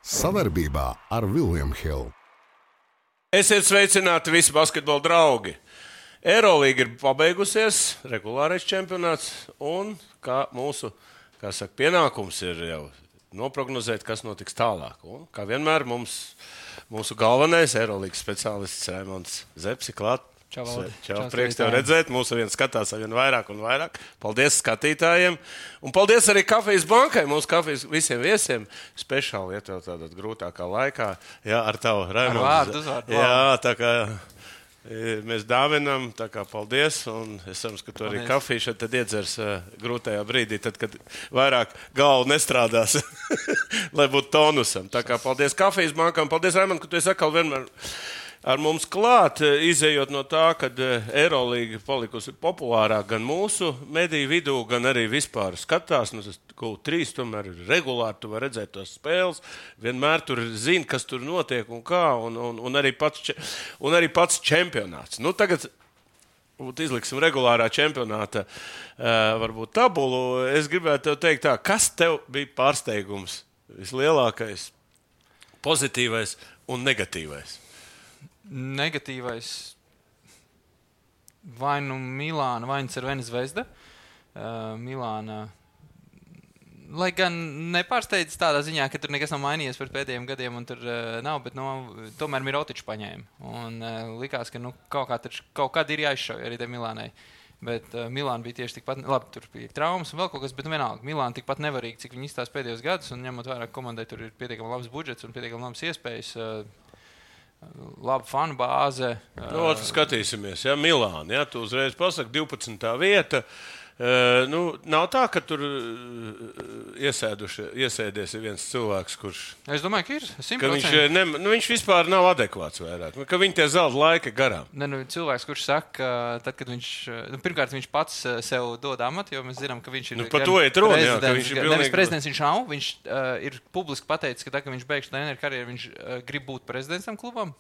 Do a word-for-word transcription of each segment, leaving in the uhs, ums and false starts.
Sadarbībā ar William Hill. Esiet sveicināti visi basketbola draugi. Eirolīga ir pabeigusies, regulārais čempionāts, un kā mūsu, kā saka, pienākums ir jau noprognozēt, kas notiks tālāk. Un, kā vienmēr mums, mūsu galvenais Eirolīgas speciālists Raimonds Zepsi klāt. Čau, Valdi. Čau, Čau prieks tev redzēt. Mūsu vien skatās vien vairāk un vairāk. Paldies skatītājiem. Un paldies arī Kafijas bankai, mūsu kafijas visiem viesiem. Speciāli, ja tev tādā grūtākā laikā. Jā, ar tavu Raimondu. Ar vārdu, uzvārdu. Jā, tā kā mēs dāvinam, tā kā paldies. Un es ceru, ka tu arī kafiju šeit tad iedzers uh, grūtajā brīdī, tad, kad vairāk galva nestrādās, lai būtu tonusam. Tā kā paldies Kafijas bankam. Paldies, Raimond, ka tu esi atkal vienmēr ar mums klāt, izējot no tā, ka Eirolīga palikusi populārāk gan mūsu mediju vidū, gan arī vispār skatās. Nu, tas kaut trīs tomēr ir regulāri, tu vari redzēt tos spēles, vienmēr tur zini, kas tur notiek un kā, un, un, un, arī, pats, un arī pats čempionāts. Nu, tagad izliksim regulārā čempionāta uh, varbūt tabulu. Es gribētu tev teikt tā, kas tev bija pārsteigums vislielākais, pozitīvais un negatīvais? Negatīvais vai nu Milāna, vai nu Cervena Zvezda. Uh, Milāna, lai gan nepārsteidz tādā ziņā, ka tur nekas nav mainījies par pēdējiem gadiem un tur uh, nav, bet no, tomēr Mirotiču paņēma. Un uh, likās, ka nu, kaut, kā taču, kaut kad ir jāizšauj arī te Milānai. Bet uh, Milāna bija tieši tikpat, labi, tur bija traumas un vēl kaut kas, bet nu vienalga, Milāna tikpat nevarīgi, cik viņi izstās pēdējos gadus, un ņemot vairāk komandai, tur ir pietiekami labs budžets un pietiekami labas iespējas. Uh, Laba fanu bāze. Nu, skatīsimies, ja, Milāna, ja, tu uzreiz pasaki, divpadsmitā vieta. Uh, nu, nav tā, ka tur iesēduši, iesēdies viens cilvēks, kurš... Es domāju, ka ir simt Ka procenti. viņš, ne, nu, viņš vispār nav adekvāts vairāk, ka viņi tie zelta laika garām. Ne, nu, cilvēks, kurš saka, tad, kad viņš... Nu, pirmkārt, viņš pats sev dod amatu, jo mēs zinām, ka viņš ir... Nu, par to iet runa, jā, ka viņš ir pilnīgi... Nevis prezidents viņš nav, viņš uh, ir publiski pateicis, ka tā, ka viņš beigšu treneru karjeru, viņš uh, grib būt prezidents tam klubam.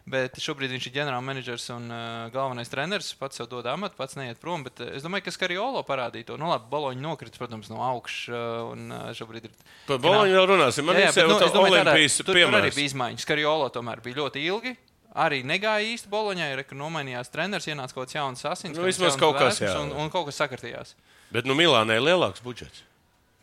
Bet šobrīd viņš ir ģenerālmenedžers un uh, galvenais treneris. Pats sev dod amatu, pats neiet prom. Bet uh, es domāju, ka Skariolo parādīja to. Nu, labi, Boloņa nokrita, protams, no augšas. Uh, un uh, šobrīd ir... Par Boloņu vēl runāsim. Man jā, jā, ir sev nu, tā Olimpijas tur, piemērs. Tur arī bija izmaiņas. Skariolo tomēr bija ļoti ilgi. Arī negāja īsti Boloņai, ka nomainījās treneris, ienāca kaut kāds jauns asins. Nu, vismaz kaut kas, jā. Un, un kaut kas sakartījās. Bet nu Milānai ir lielāks budžets.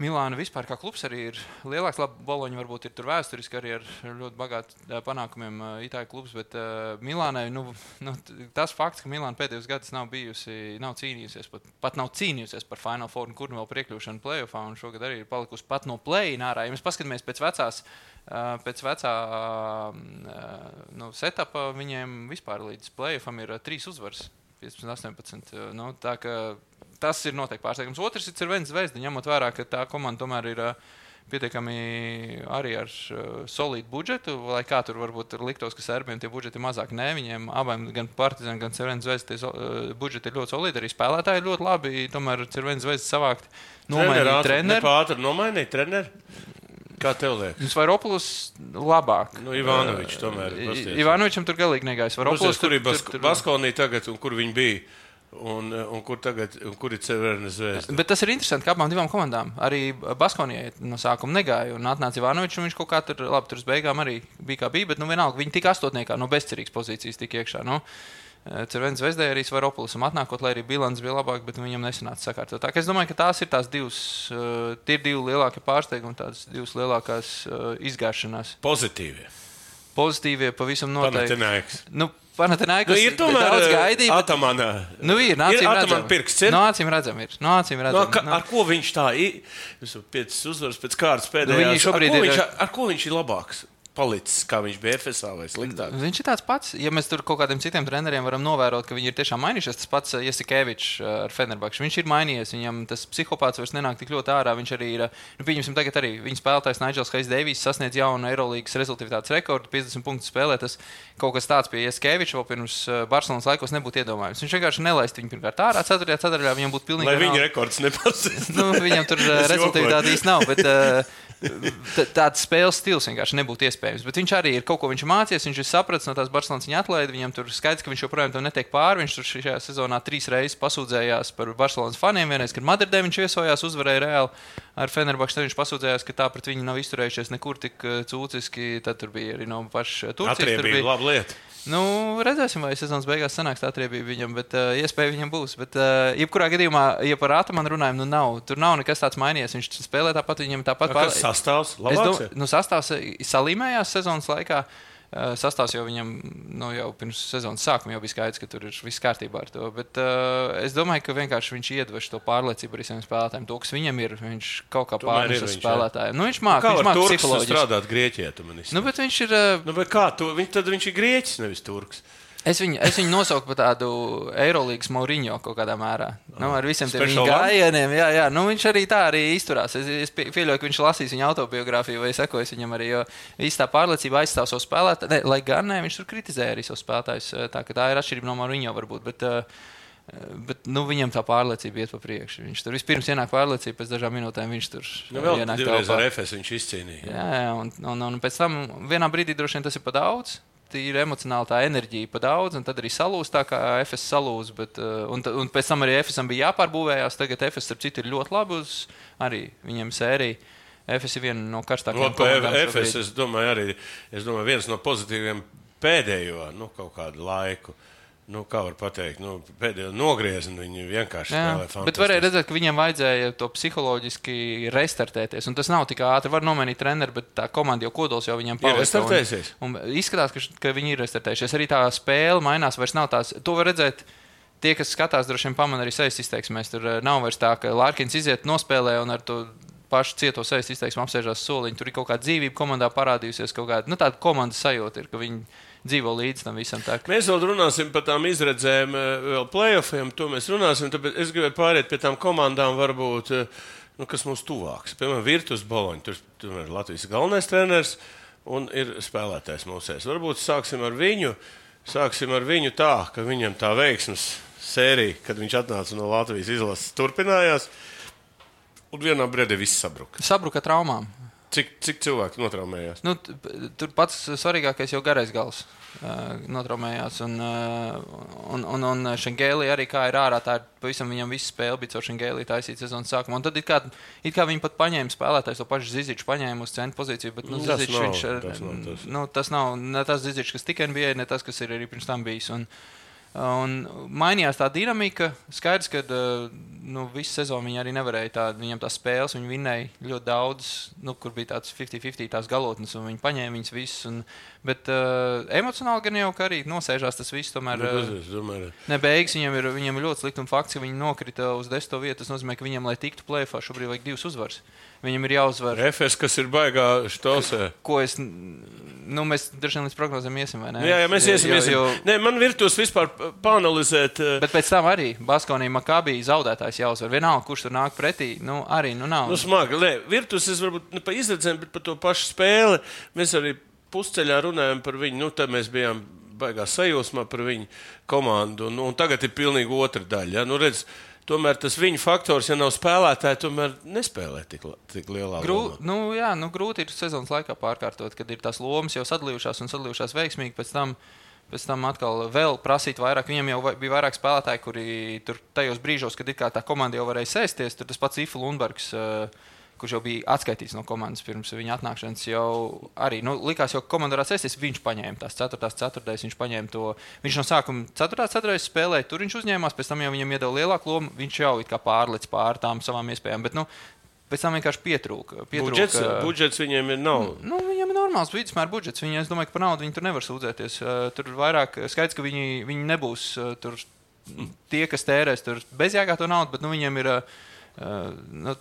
Milāna vispār kā klubs arī ir lielāks. Labi, Boloņa varbūt ir tur vēsturiski arī ar ļoti bagātu panākumiem Itāļu klubs, bet uh, Milānai, nu, nu, tas fakts, ka Milāna pēdējos gadus nav bijusi, nav cīnījusies, pat, pat nav cīnījusies par Final Four, kur nu vēl priekļūšanu playoffā, un šogad arī ir palikusi pat no play-in ārā. Ja mēs paskatāmies pēc vecās, uh, pēc vecā uh, nu, setapa, viņiem vispār līdz playoffam ir uh, trīs uzvaras, piecpadsmit astoņpadsmit. Uh, nu, tā ka tas ir noteikti pārsteigums. Otrs ir Cervena Zvezda, ņemot vērā, ka tā komanda tomēr ir uh, pietiekami arī ar uh, solīdu budžetu, lai kā tur varbūt liktos, ka serbiem tie budžeti ir mazāk. Nē, viņiem abiem, gan Partizan, gan Cervena Zvezda, tie uh, budžeti ir ļoti solīdi, arī spēlētāji ir ļoti labi, tomēr Cervena Zvezda savākt nomainīt treneru. Nepātri nomainīt treneru? Kā tev liekas? Svaropoulos labāk. Nu, Ivanovičs tomēr. Ivanovičam tur galīgi negāja. Svaropoulos, kur ir Bas- Baskonī tagad un kur viņi bija? Un, un kur tagad un kur ir Cervena Zvezda? Bet tas ir interesanti, ka abām divām komandām arī Baskonijai no sākuma negāja. Un atnāca Ivanovičs, un viņš kaut kā tur, labi, tur uz beigām arī bija kā bija, bet nu vienalga, viņi tika astotniekā no bezcerīgas pozīcijas tika iekšā. Nu, Cervena Zvezdai arī Svaropoulisam atnākot, lai arī bilants bija labāk, bet viņam nesanāca sakārtot. Tā kā es domāju, ka tās ir tās divas, tie ir divi lielākie pārsteigumi, tādas divas lielākās izgāšanās. Pozitīvie. Pozitīvie pavisam noteikti. Panathinaikos. Nu, Panathinaikos nu, ir tomēr daudz gaidīja. Atamana. Nu, ir, nācīm ir redzam. Pirksts ir. Nācīm redzam ir. Nācīm redzam. No, ka, ar ko viņš tā ir? Piecas uzvaras pēc kārtas pēdējās. Nu, ar, ko ir... viņš, ar ko viņš ir labāks? Palicis, kā viņš bija F S A vai sliktāk? Viņš ir tāds pats. Ja mēs tur kaut kādiem citiem treneriem varam novērot, ka viņi ir tiešām mainījušies, tas pats Jasikevičs ar Fenerbahču. Viņš ir mainījies, viņam tas psihopāts vairs nenāk tik ļoti ārā. Viņš arī ir, nu, pieņemsim tagad arī viņa spēlētājs Nigels Hayes Davies sasniedz jaunu Eirolīgas rezultātātes rekordu, piecdesmit punktu spēlē. Tas kaut kas tāds pie Jasikeviča vēl pirms Barcelonas laikos nebūtu iedomājams. Viņš vienkārši nelaist viņu pirmkārt ārā, ceturtajā ceturtajā viņam būtu pilnīgi. Lai viņa rekords nepasniedz. Nu, viņam tur rezultātāte īsti nav, bet tāds spēles stils vienkārši nebūtu iespējams. iespējams. Bet viņš arī ir kaut ko viņš mācījies, viņš ir sapratis no tās Barcelonas viņa atlaidi. Viņam tur skaidrs, ka viņš joprojām tam netiek pāri. Viņš tur šajā sezonā trīs reizes pasūdzējās par Barcelonas faniem. Vienreiz, kad Madridē viņš viesojās, uzvarēja Reāli ar Fenerbahču, tad viņš pasūdzējās, ka tā pret viņu nav izturējušies nekur tik cūciski. Tad tur bija arī no paša Turcijas. Atriebība bija laba lieta. Nu, redzēsim, vai sezonas beigās sanāks tā atriebība viņam, bet uh, iespēja viņam būs. Bet, uh, jebkurā gadījumā, ja par Atamanu runājam, nu nav. Tur nav nekas tāds mainījies. Viņš spēlē tāpat, viņam tāpat pār... Kas sastāvs? Labāks? Nu, sastāvs salīmējās sezonas laikā. Uh, sastāvs jau viņam, nu, jau pirms sezonas sākuma jau bija skaidrs, ka tur ir viss kārtībā ar to. Bet uh, es domāju, ka vienkārši viņš iedveš to pārliecību arī saviem spēlētājiem. To, kas viņam ir, viņš kaut kā pārnes uz spēlētājiem. Nu, viņš māk, kā viņš māk psiholoģiski. Kā var Turks strādāt Grieķijā, tu man izsaka? Nu, bet viņš ir... Uh... Nu, bet kā tu? Viņ, tad viņš ir Grieķis, nevis Turks. Es viņu, es viņu nosaucu par tādu Eirolīgas Mourinho kaut kādā mērā. Nu, ar visiem tiem viņa gājieniem. Jā, jā. Nu, viņš arī tā arī izturās. Es, es pieļauju, ka viņš lasīs viņa autobiogrāfiju vai sekojas viņam arī, jo viss tā pārliecība aizstāv savu spēlētāju. Ne, lai gan ne, viņš tur kritizēja arī savu spēlētājus. Tā, ka tā ir atšķirība no Mourinho varbūt. Bet, bet nu, viņam tā pārliecība iet pa priekšu. Viņš tur vispirms ienāk pārliecība, pēc dažām minūtēm viņš tur nu, vēl ienāk. Divreiz ar Efes viņš izcīnīja. Jā, jā un, un, un pēc tam vienā brīdī droši vien tas ir pa daudz. Ir emocionāli tā enerģija pa daudz, un tad arī salūz tā kā Efes salūz, bet, un, un pēc tam arī Efesam bija jāpārbūvējās, tagad Efes, starp citu, ir ļoti labi uz arī viņiem sērija. Efes ir viena no karstākajām komandām. Efes, es domāju, arī, es domāju, viens no pozitīviem pēdējo, nu, kaut kādu laiku. Nu, kā var pateikt, nu, pēdējo nogriezni viņi vienkārši spēlē fantastiski. Bet varēja redzēt, ka viņiem vajadzēja to psiholoģiski restartēties. Un tas nav tik ātri, var nomainīt treneri, bet tā komanda jau kodols jau viņiem palika. Ir restartējusies. Un, un izskatās, ka, ka viņi ir restartējušies. Arī tā spēle mainās, vairs nav tās. To var redzēt, tie, kas skatās, droši vien pamana arī sejas izteiksmēs. Tur nav vairs tā, ka Larkins iziet nospēlē un ar to pašu cieto sejas izteiksmu apsēžās soliņu. Tur ir kaut kāda dzīvība komandā parādījusies, kaut kāda, nu, tāda komandas sajūta ir, ka viņi dzīvo līdz tam visam. Tā. Mēs vēl runāsim par tām izredzēm, vēl playoffiem, to mēs runāsim, tāpēc es gribētu pāriet pie tām komandām, varbūt, nu, kas mums tuvāks. Piemēram, Virtus Boloņa, tur, tur ir Latvijas galvenais treneris un ir spēlētājs mūsēs. Varbūt sāksim ar viņu, sāksim ar viņu tā, ka viņam tā veiksmes sērija, kad viņš atnāca no Latvijas izlases, turpinājās, un vienā brīdī viss sabruka. Sabruka traumām. Cik, cik cilvēki notraumējās? Nu, tur pats svarīgākais jau garais gals uh, notraumējās. Un, uh, un, un, un Šengēlī arī kā ir ārā, tā ir pavisam viņam visu spēli bija caur Šengēlī taisīt sezonas sākumā. Un tad it kā, it kā viņi pat paņēma spēlētājs, to pašu Ziziču paņēma uz centra pozīciju, bet nu, Zizičs viņš ir, tas nav tas. Nu, tas nav ne tas Zizičs, kas tik N B A, ne tas, kas ir arī pirms tam bijis. Un, Un mainījās tā dinamika. Skaidrs, ka nu, visu sezonu viņi arī nevarēja tā, viņam tās spēles, viņi vinnēja ļoti daudz, nu, kur bija tāds fifty fifty tās galotnes, un viņi paņēma viņas visas. Un, bet uh, emocionāli gan jau, ka arī nosēžās tas viss, tomēr uh, ne beigas viņiem ir, viņiem ir ļoti slikti, un fakts, ka viņi nokrita uz desmito vietu, tas nozīmē, ka viņiem, lai tiktu play-offā, šobrīd vajag divas uzvaras. Viņam ir jāuzvar. Efes, kas ir baigā štosē. Ko es, nu, mēs droši vien līdz prognozēm iesim, vai ne? Jā, jā, mēs iesim, jo, iesim. Jo... Nē, man Virtus vispār pāanalizēt. Bet pēc tam arī Baskonī Makabī zaudētājs jāuzvar. Vienalga, kurš tur nāk pretī, nu, arī, nu, nav. Nu, smagi, nē, Virtus, es varbūt ne pa izredzēm, bet par to pašu spēli. Mēs arī pusceļā runājam par viņu, nu, tad mēs bijām baigā sajūsmā par viņu komandu, un, un tagad ir pilnīgi otra daļa, ja? Nu, redz, tomēr tas viņa faktors, ja nav spēlētāji, tomēr nespēlē tik, tik lielā Grū, lomā. Nu, jā, nu, grūti ir sezonas laikā pārkārtot, kad ir tās lomas jau sadalījušās un sadalījušās veiksmīgi, pēc tam, pēc tam atkal vēl prasīt vairāk. Viņam jau bija vairāk spēlētāji, kuri tur tajos brīžos, kad ir kā tā komanda jau varēja sēsties, tur tas pats Ifa Lundbergs, kurš jau bija atskaitīts no komandas pirms viņa atnākšanas, jau arī, nu, likās, jau komanda varētu sēsties, viņš paņēma tās ceturtās ceturtais, viņš paņēma to, viņš no sākuma ceturtās ceturtais spēlēja, tur viņš uzņēmās, pēc tam jau viņam iedeva lielāku lomu, viņš jau it kā pārlic pār tām savām iespējām, bet, nu, pēc tam vienkārši pietrūka. pietrūka budžets, budžets viņiem ir nav. Nu, viņam ir normāls vidusmēra budžets, viņi, es domāju, ka par naudu viņi tur nevar sūdzēties, tur vairāk skaidrs, ka viņi, viņi nebūs tur tie, kas tērēs tur bezjāgā to naudu, bet, nu, viņiem ir Uh, nu,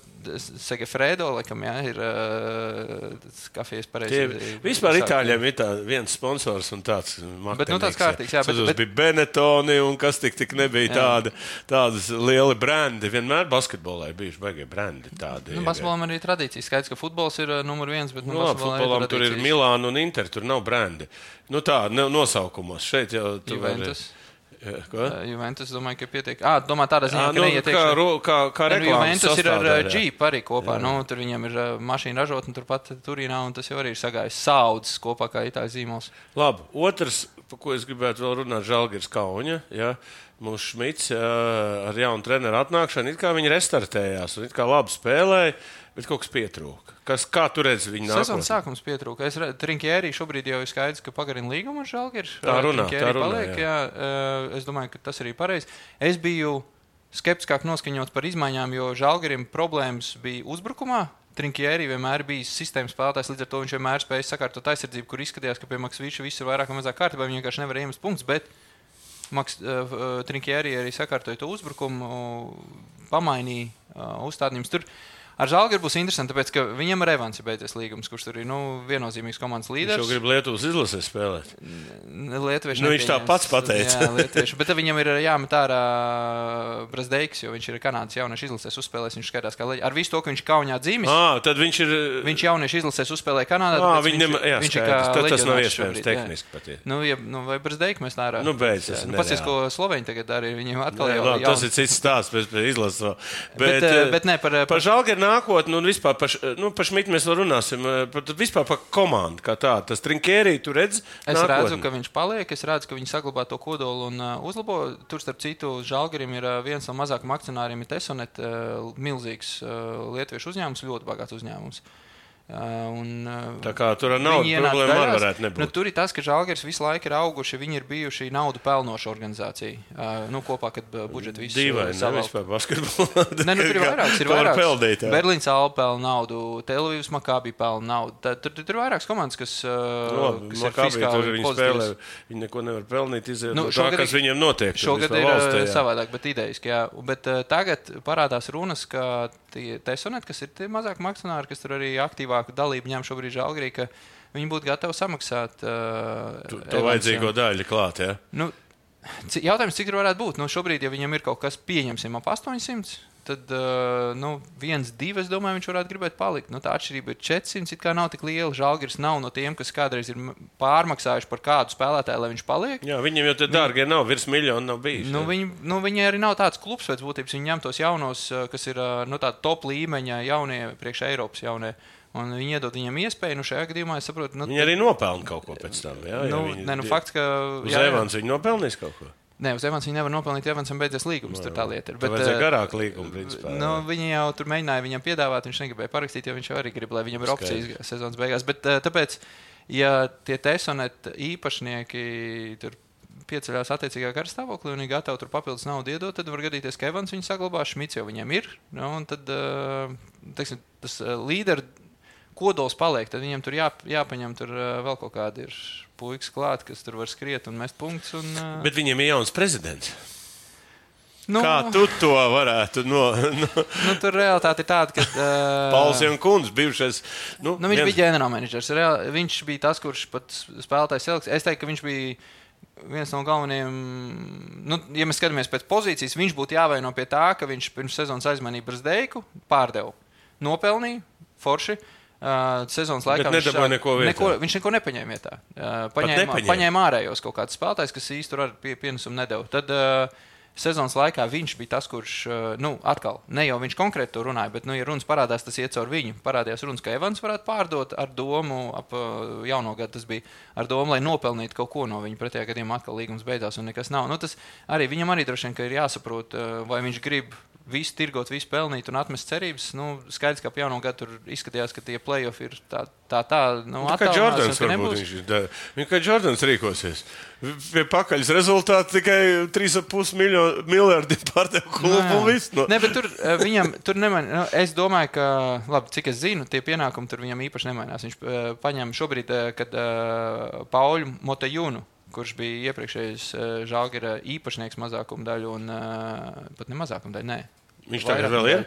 Segefredo, laikam, jā, ir uh, kafijas pareizi. Vispār Itāļiem ir tā viens sponsors un tāds marketinīgs. Bet, nu, tāds kārtīgs, jā. Bet, bet... bija Benetoni un kas tik tik nebija tāda, tādas lieli brendi. Vienmēr basketbolā ir bijuši baigie brendi tādi. Nu, basketbolam arī ir tradīcija. Skaidrs, ka futbols ir uh, numur viens, bet, nu, no, futbolam tur ir Milāna un Inter, tur nav brendi. Nu tā, ne, nosaukumos. Šeit jau tu vari... Ko? Juventus, domāju, ka pietiek. Ā, domā tādā ziņā, à, ka nu, neietiek. Kā, ro, kā, kā reklāmas Juventus ir ar sastāvdaļā. Jeep arī kopā. Nu, tur viņam ir mašīna ražotne turpat Turīnā, un tas jau arī ir sagājis saudzes kopā kā itāļu zīmols. Labi, otrs, pa ko es gribētu vēl runāt, Žalgiris Kauņa. Ja? Mums Šmits ja, ar jaunu treneru atnākšanu, it kā viņi restartējās un it kā labi spēlēja, bet kaut kas pietrūka. Kas, kā tu redzi viņu nākotnē? Sezonas sākums pietrūka. Es redzu, Trinkjērī šobrīd jau ir skaidrs, ka pagarina līgumu ar Žalgiru. Tā runā, tā runā, paliek, jā. Jā, es domāju, ka tas arī pareizi. Es biju skeptiskāk noskaņots par izmaiņām, jo Žalgirim problēmas bija uzbrukumā. Trinkjērī vienmēr bija sistēmas spēlētājs, līdz ar to viņš vienmēr spēja sakārtot aizsardzību, kur izskatījās, ka pie Maksvīča viss ir vairāk vai mazāk kārtībā, viņi vienkārši nevar iemest punktus, bet Maks, uh, Trinkjērī arī sakārtoja to uzbrukumu, pamainīja uh, uzstādījumus tur. Ar Žalgiru būs interesanti, tāpēc, ka viņam ar Evans ir beidzies līgums, kurš tur ir nu, viennozīmīgs komandas līderis. Viņš jau grib Lietuvas izlasē spēlēt. Lietuvieši nu, viņš tā pats pateica. Jā, lietuvieši. Bet viņam ir jāmet ārā Brazdeiks, jo viņš ir Kanādas jauniešu izlasēs uzspēlējis. Viņš skatās, kā leģi. Ar visu to, ka viņš Kaunijā dzīvis. À, tad viņš ir... Viņš jauniešu izlasēs uzspēlēja Kanādā. À, viņš, nem... jā, viņš ir kā tad tas nav iespējams šobrīd, tehniski pat. Nu, ja, nu, vai Brazdeiks mēs tā ārā? Nu, beidz. Nu, pats, ko Sloveņi tagad arī viņiem atkal ne, jau... Labi, tas ir cits stāsts pēc izlases. Bet, bet, bet ne, par... Par Žalgiru nākotni un vispār par, nu, par Šmitu mēs vēl runāsim. Par, vispār par komandu kā tā. Tas Trinkjērī tu redz Es nākotni. redzu, ka viņš paliek. Es redzu, ka viņi saglabā to kodolu un uh, uzlabo. Tur, starp citu, Žalgirim ir uh, viens no mazākajiem akcionāriem, ir Tesonet, uh, milzīgs uh, lietuviešu uzņēmums, ļoti bagāts uzņēmums. Uh, un, uh, tā kā tur ar naudu problēma arī varētu nebūt. Nu, tur ir tas, ka Žalgiris visu laiku ir auguši, viņi ir bijuši naudu pelnoša organizācija. Uh, nu, kopā, kad uh, budžeti visu Dīvaini, savā... ne vispār basketbolā. Ne, nu, tur ir vairāks, ir vairāks. Peldīt, Berlīns Alba pelna naudu, Telavivas Makābi pelna naudu. Tā, tur, tur ir vairākas komandas, kas, uh, no, kas ir fiskāli pozitīvas. Spēlē, viņi neko nevar pelnīt, iziet Nu, no tā, kas viņiem notiek. Šogad ir valstī, savādāk, bet idejiski, jā. Bet uh, tagad parādās runas, ka tie Tesonet, kas ir tie mazāk akcionāri, kas tur arī aktīvāku dalību ņem šobrīd Žalgirī, ka viņi būtu gatavi samaksāt uh, to, to vajadzīgo daļu klāt, ja? Nu, jautājums, cik tur varētu būt? Nu, šobrīd, ja viņam ir kaut kas pieņemsim ap astoņsimt, tad uh, nu, viens, divi, es domāju, viņš varētu gribēt palikt. Nu, tā atšķirība ir četrsimt, it kā nav tik liela. Žalgiris nav no tiem, kas kādreiz ir pārmaksājuši par kādu spēlētāju, lai viņš paliek. Jā, viņiem jau te dārgie nav, virs miljonu nav bijis. Nu, viņi, nu, viņi arī nav tāds klubs pēc būtības. Viņi ņem tos jaunos, kas ir nu, tādi top līmeņa jaunie, priekš Eiropas jaunie. Un viņi iedod viņam iespēju, nu šajā gadījumā es saprotu... Nu, viņi arī nopelna kaut ko pēc tam, jā? Nu, viņi, ne, nu fakts, ka... Uz Evans viņi nopelnīs kaut ko? Nē, uz Evans viņi nevar nopelnīt, ja Evansam beidzies līgums, no, tur tā lieta ir. Bet vajadzēja garāk līgumu, principā. Nu, viņi jau tur mēģināja viņam piedāvāt, viņš negribēja parakstīt, jo viņš jau arī grib, lai viņam ir opcijas sezonas beigās. Bet tāpēc, ja tie Tesonet īpašnieki tur pieceļās attiecīgā karstāvoklī un ir gatavi tur papildus naudu iedot, tad var gadīties, ka Evans viņu saglabā, Šmits jau viņam ir. Nu, un tad, teiksim, tas līderu kodols paliek, tad viņam tur jā, jāpaņem tur vēl kaut kādi ir puikas klāt, kas tur var skriet un mest punktus. Un, Bet viņiem ir jauns prezidents. Nu, Kā tu to varētu no... no... nu, tur realitāte ir tāda, ka... Uh, Pauls Jankuns, bijušais... Nu, nu, viņš viens... bija ģenerālmenedžers. Viņš bija tas, kurš pat spēlētājs selekts. Es teiktu, ka viņš bija viens no galvenajiem... Nu, ja mēs skatāmies pēc pozīcijas, viņš būtu jāvaino pie tā, ka viņš pirms sezonas aizmanīja Brazdeiku, pārdeva. Nopelnīja, forši. Uh, sezonas laikā viņš, neko neko, viņš neko nepaņēma vietā. Uh, paņēma, nepaņēma. paņēma ārējos kaut kādus spēlētājus, kas īsti tur ar pie, pienesumu nedeva. Tad uh, sezonas laikā viņš bija tas, kurš, uh, nu, atkal, ne jau viņš konkrēti to runāja, bet, nu, ja runas parādās, tas iet caur viņu. Parādījās runas, ka Evans varētu pārdot ar domu, ap uh, jauno gadu tas bija, ar domu, lai nopelnītu kaut ko no viņa. Pretējā gadījumā atkal līgums beidzās un nekas nav. Nu, tas arī, viņam arī droši vien, ka ir jāsaprot, uh, vai viņš grib visu tirgot, visu pelnīt un atmest cerības. Nu, skaidrs, ka ap jauno gadu tur izskatījās, ka tie play-off ir tā, tā, tā nu, kā Jordans varbūt viņš ir. Viņa kā Jordans rīkosies. Pie pakaļas rezultāti tikai trīs ar pus miljardi pārdev klubu un viss. No. Ne, bet tur viņam, tur nemain, nu, es domāju, ka, labi, cik es zinu, tie pienākumi tur viņam īpaši nemainās. Viņš uh, paņem šobrīd, uh, kad uh, Pauļu Motejunu, kurš bija iepriekšējais uh, Žalgira īpašnieks mazākuma daļu un uh, pat ne mazākuma daļu, nē. Viņš tagad vēl ir?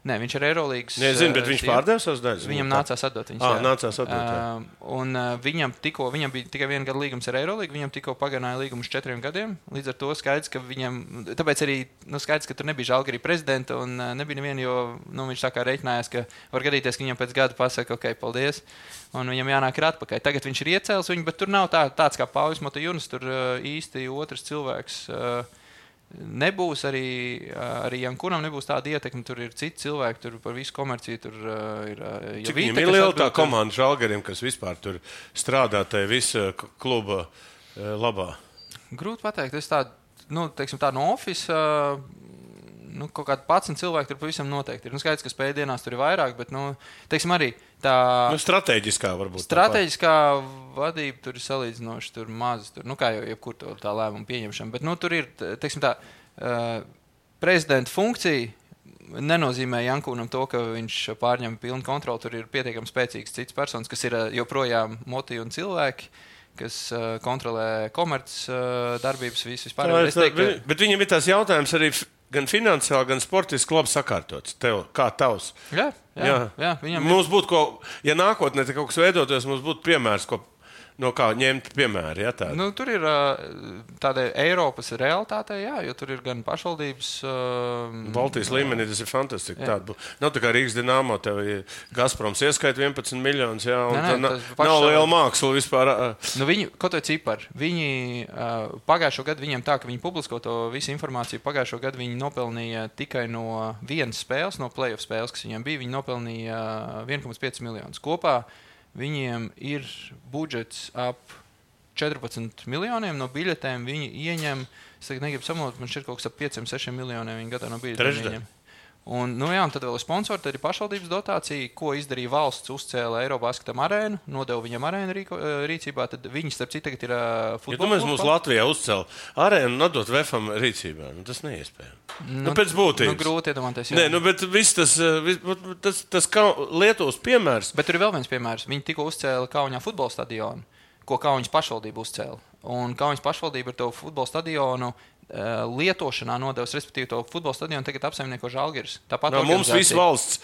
Nē, viņš ir Eirolīgas. Nē, zinu, bet viņš pārdeva savas daļas. Viņam nācās atdot viņas. Ah, nācās atdot. Uh, un uh, viņam tikko, viņam bija tikai viena gada līgums ar Eirolīgu, viņam tikko pagarināja līgumu uz četriem gadiem. Līdz ar to skaidrs, ka viņam, tāpēc arī nu, skaidrs, ka tur nebija Žalgirī prezidenta un uh, nebija neviena, jo nu, viņš tā kā reiķinājās, ka var gadīties, ka viņam pēc gada pasaka, ok, paldies, un viņam jānāk ir atpakaļ. Tagad viņš ir iecēlis viņu, bet tur nav tā, tāds kā Pauļs Motijunas, tur uh, īsti otrs cilvēks. Uh, Nebūs arī, arī Jankunam nebūs tāda ietekme, tur ir citi cilvēki, tur par visu komerciju, tur uh, ir... Uh, Cik viņam ir liela tā komanda Žalgirim, kas vispār tur strādā tajā visa kluba uh, labā? Grūti pateikt, es tādu, nu, teiksim tā no office, uh, nu, kaut kādi padsmit cilvēki tur pavisam noteikti ir. Nu, skaidrs, ka spēļdienās tur ir vairāk, bet, nu, teiksim arī tā... Nu, strateģiskā varbūt. Strateģiskā vadība tur ir salīdzinoši tur maz, tur, nu, kā jau jebkur to tā lēmumu pieņemšana, bet, nu, tur ir, teiksim tā, uh, prezidenta funkcija nenozīmē Jankūnam to, ka viņš pārņem pilnu kontroli, tur ir pietiekami spēcīgs cits personas, kas ir joprojām moti un cilvēki, kas uh, kontrolē komerc uh, darbības visu vispār. Tā, tā, teiktu, ka... Bet viņam ir tās jautājums arī gan finansiāli, gan sportiski labi sakārtots. Tev, kā tavs? Jā, jā, jā. jā viņam mums būtu, ko, ja nākotnē kaut kas veidotos, mums būtu piemērs, ko no kā ņemt piemēri. Ja, nu, tur ir tāda Eiropas realitāte, jā, jo tur ir gan pašvaldības. Uh, Baltijas līmenī tas ir fantastiski. Tāda, nav tā kā Rīgas Dinamo, tev Gazproms ieskaita vienpadsmit miljonus, jā, un nē, nē, nav pašā... liela māksla vispār. Nu, viņi, kaut vai cipari, viņi uh, pagājušo gadu viņiem tā, ka viņi publisko to visu informāciju, pagājušo gadu viņi nopelnīja tikai no vienas spēles, no playoff spēles, kas viņiem bija, viņi nopelnīja viens komats pieci miljonus kopā. Viņiem ir budžets ap četrpadsmit miljoniem no biļetēm. Viņi ieņem, es tagad negribu samalot, man šķiet kaut kas ap pieciem sešiem miljoniem viņi gadā no biļetēm ieņem. Un, nu jā, un tad vēl ir sponsori, tad ir pašvaldības dotācija, ko izdarīja valsts, uzcēla Eirobasketam arēnu, nodeva viņam arēnu rīko, rīcībā, tad viņi starp citu tagad ir uh, futbola. Ja tu mēs mums Latvijā uzcēla arēnu un nodot Vefam rīcībā, nu tas neiespējami. Nu, nu pēc būtības. Nu grūti iedomāties. Nē, nu bet viss tas, vis, tas, tas kā Lietuvas piemērs. Bet tur ir vēl viens piemērs. Viņi tikko uzcēla Kauņā futbola stadionu, ko Kauņas pašvaldība uzcēla. Un Kauņas pašvaldība ar to futbola stadionu lietošanā nodevis, respektīvi to futbola stadionu tagad apsaimnieko Žalgiris. Tāpat no, mums visu valsts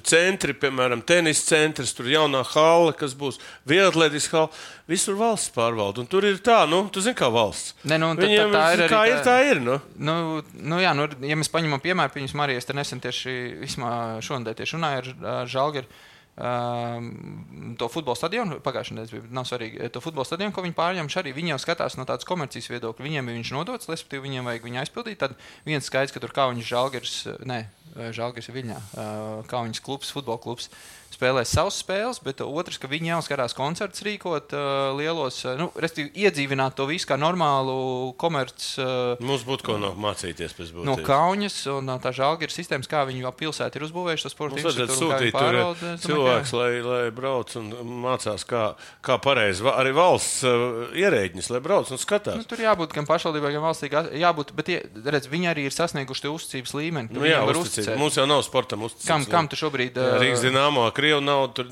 centri, piemēram, tenis centrs, tur jaunā hale, kas būs vieglatlētiskā hale, visur valsts pārvalda. Un tur ir tā, nu, tu zini, kā valsts. Ne, nu, tā, Viņiem, tā ir kā arī, ir, tā ir, nu. Nu, nu jā, nu, ja mēs paņemam piemēru, piņas Marijas, te nesen tieši, vismā šonadēļ tieši runāja ar, ar Žalgiri, Uh, to futbola stadionu, pagājušajā nedēļā bija, nav svarīgi, to futbola stadionu, ko viņi pārņem, arī viņi jau skatās no tādas komercijas viedokļa, viņiem ir viņš nodots, respektīvi viņiem vajag viņu aizpildīt, tad viens skaidrs, ka tur Kauņas Žalgiris, ne, Žalgiris ir Viļņā, uh, Kauņas klubs, futbola klubs, spēlēs savas spēles, bet otrs, ka viņi jau skatās koncertus rīkot uh, lielos, uh, nu, respektīvi iedzīvināt to visu kā normālu komerc. Uh, Mums būtu ko no mācīties pēc būtības. No Kauņas un no tā Žalgiris sistēmas, kā viņi jau pilsēti ir uzbūvējuši to sporta infrastruktūru. Mums vajadzētu sūtīt tur cilvēks, lai, lai brauc un mācās, kā, kā pareizi. Arī valsts uh, ierēģiņas, lai brauc un skatās. Nu, tur jābūt gan pašvaldībai, gan valstī. Jābūt, bet, redz, viņi arī ir sasnieguši tie uzticības līmeni. Nu, jā, uzticības. Mums jau nav sportam uzticības. Kam, kam tu šobrīd? Uh, Rīgas Dinamo, Krievu nav, tur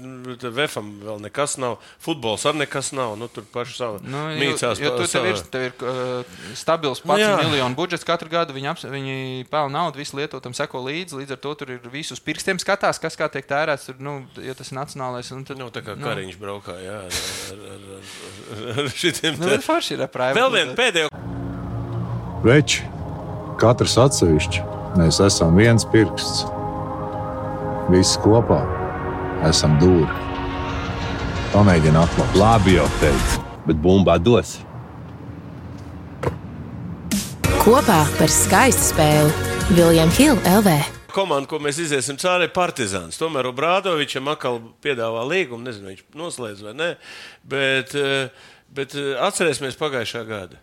Vefam vēl nekas nav, futbols ar nekas nav, nu tur paši savu nu, mīcās. Jo, jo tu tev ir, tev ir uh, stabils pats nu, miljonu budžets katru gadu, viņi, aps, viņi pelna naudu, visi lietotam seko līdzi, līdz ar to tur ir visus pirkstiem skatās, kas kā tiek tērēts, tur, nu, ja tas ir nacionālais. Un tad, nu, tā kā nu. Kariņš braukā, jā, ar, ar, ar, ar šitiem. Nu, bet forši ir aprājumi. Vēl vien pēdējo. Veči, katrs atsevišķi, mēs esam viens pirksts. Visi kopā. Esam dūri. Pamēģini atklāt. Labi jau teicu, bet bumba dos. Kopā par skaistu spēli William Hill L V. Komanda, ko mēs iziesim cauri, ir Partizāns. Tomēr Obradovičam atkal piedāvā līgumu, nezinu, viņš noslēdz vai ne, bet, bet atcerēsimies pagājušā gada,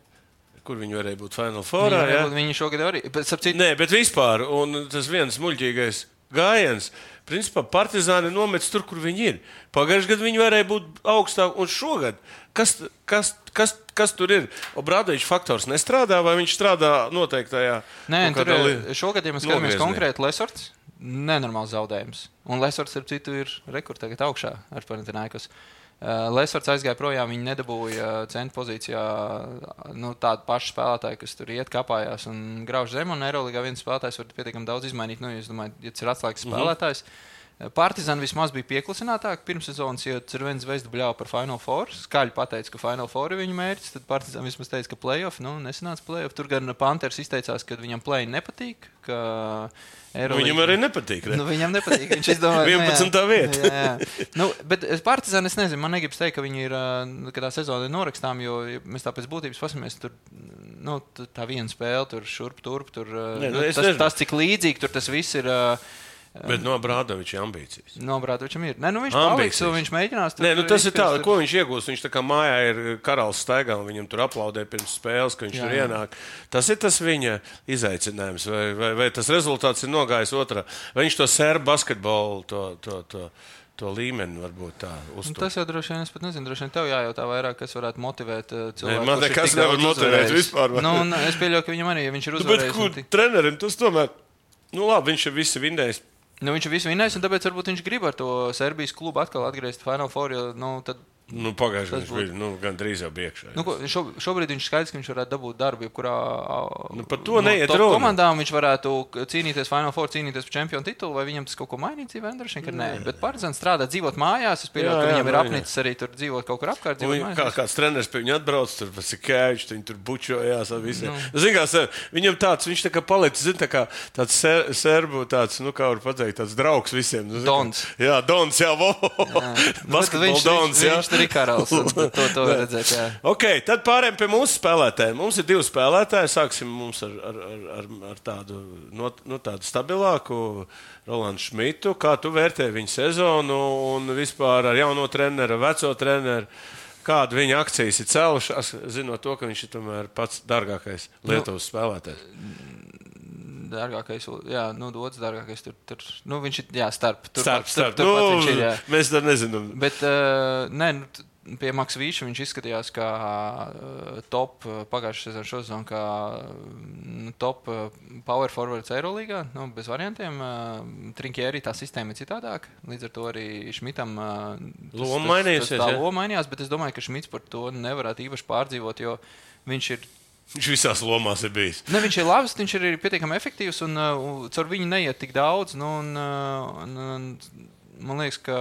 kur viņi varēja būt Final Fourā. Jā, viņi šogad arī. Bet, citu... Nē, bet vispār, un tas viens muļķīgais gājiens, principā Partizāni nomets tur, kur viņi ir. Pagājušajā gadā viņi varēja būt augstāk, un šogad, kas, kas, kas, kas tur ir? Obradovičs faktors nestrādā, vai viņš strādā noteiktajā? Nē, tur li... šogad, ja mēs skatāmies konkrēti Lesorts, nenormāls zaudējums. Un Lesorts, ar citu, ir rekord tagad augšā ar Panathinaikos. Lesvards aizgāja projām, viņi nedabūja centra pozīcijā nu, tādu pašu spēlētāju, kas tur iet kapājās un grauž zem, un Eirolīgā viens spēlētājs var pietiekami daudz izmainīt. Nu, es domāju, ja tas ir atslēgas spēlētājs. Mm-hmm. Partizan vismaz bija pieklusinātāk pirms sezonas, jo Cervena Zvezda bļāva par Final Four. Skaļi pateica, ka Final Four ir viņa mērķis, tad Partizan vismaz teica, ka playoff, nu, nesanāca playoff. Tur gan Panthers izteicās, ka viņam play nepatīk, ka Eirolīga... Viņam arī nepatīk, ne? Nu, viņam nepatīk, viņš izdomāja... vienpadsmitā vieta. Jā, jā. Nu, bet Partizan, es nezinu, man negribas teikt, ka viņi ir, ka tā sezona ir norakstām, jo ja mēs tā pēc būtības pasamies, tur, nu, tā viena spēle, tur šurp, turp, tur, ne, nu, tas, tas, cik līdzīgi tur tas viss ir... Bet no Brādoviča ambīcijas. No Brādovičam ir. Nē, nu viņš paliks, un viņš mēģinās... Nē, nu tas ir tā, tur... ko viņš iegūst. Viņš tā kā mājā ir karalis staigā, un viņam tur aplaudē pirms spēles, ka viņš jā, tur ienāk. Tas ir tas viņa izaicinājums, vai, vai, vai tas rezultāts ir nogājis otrā. Vai viņš to serbu basketbolu, to, to, to, to līmeni varbūt tā uztur. Tas jau droši vien, es pat nezinu, droši vien tev jājautā vairāk, kas varētu motivēt cilvēku. Nē, man nekas nevar motivēt vispār. Nu, un es pieļauju, ka viņam arī, ja viņš ir uzvarējis. Nu, bet kur tik... trenerim tas tomēr, nu labi, viņš ir visi vinnējis. Nu, viņš ir visu vinnējis, un tāpēc varbūt viņš grib ar to Serbijas klubu atkal atgriezt Final Four, jo, nu, tad... Nu, pagājuši viņš bija, nu, gan drīz jau biekšā. Nu, šo, šobrīd viņš skaidrs, ka viņš varētu dabūt darbu, jebkurā nu, par to neiet no, runa. Komandām viņš varētu cīnīties Final Four, cīnīties par čempionu titulu, vai viņam tas kaut ko mainīt dzīvē, droši vien, ka nē. Bet Partizan strādā, dzīvot mājās, es pieļauju, ka viņam ir apnicis arī tur dzīvot kaut kur apkārt, dzīvot mājās. Kā, kāds treneris pie viņa atbrauc, tur Vasikēvičs, viņi tur bučojās ar visiem. Nu. Zin, kā, viņam tāds, viņš tā kā palicis, zin, tā kā tāds ser, serbu, tāds, nu, kā var pateikt, tāds draugs visiem. Nu, Dons. Kā, jā, Dons, jā, vo. Basketbol Dons, jā. Viņš tur ir karalis. To, to var redzēt, jā. Ok, tad pārējām pie mūsu spēlētājiem. Mums ir divi spēlētāji. Sāksim mums ar, ar, ar, ar tādu, no, no tādu stabilāku Rolandu Šmitu. Kā tu vērtē viņa sezonu un vispār ar jauno treneru, veco treneru? Kāda viņa akcijas ir cēlušās, zinot to, ka viņš ir tomēr pats dārgākais Lietuvas nu, spēlētājs? Dārgākais, jā, nu, dots dārgākais tur, tur, nu, viņš ir, jā, starp. Tur, starp, starp. Tur, tur, nu, viņš ir, jā. Mēs tā nezinām. Bet, uh, nē, nu, pie Maksvīša viņš izskatījās kā top pagājušā sezona šosezon, kā top power forwards Eirolīgā, nu, bez variantiem. Trinkieri tā sistēma ir citādāk, līdz ar to arī Šmitam loma mainījusies. Tā loma mainījās, bet es domāju, ka Šmits par to nevarētu īpaši pārdzīvot, jo viņš ir Viņš visās lomās ir bijis. Ne, viņš ir labs, viņš ir pietiekami efektīvs un uh, caur viņu neiet tik daudz. Nu, un, uh, un, un, man liekas, ka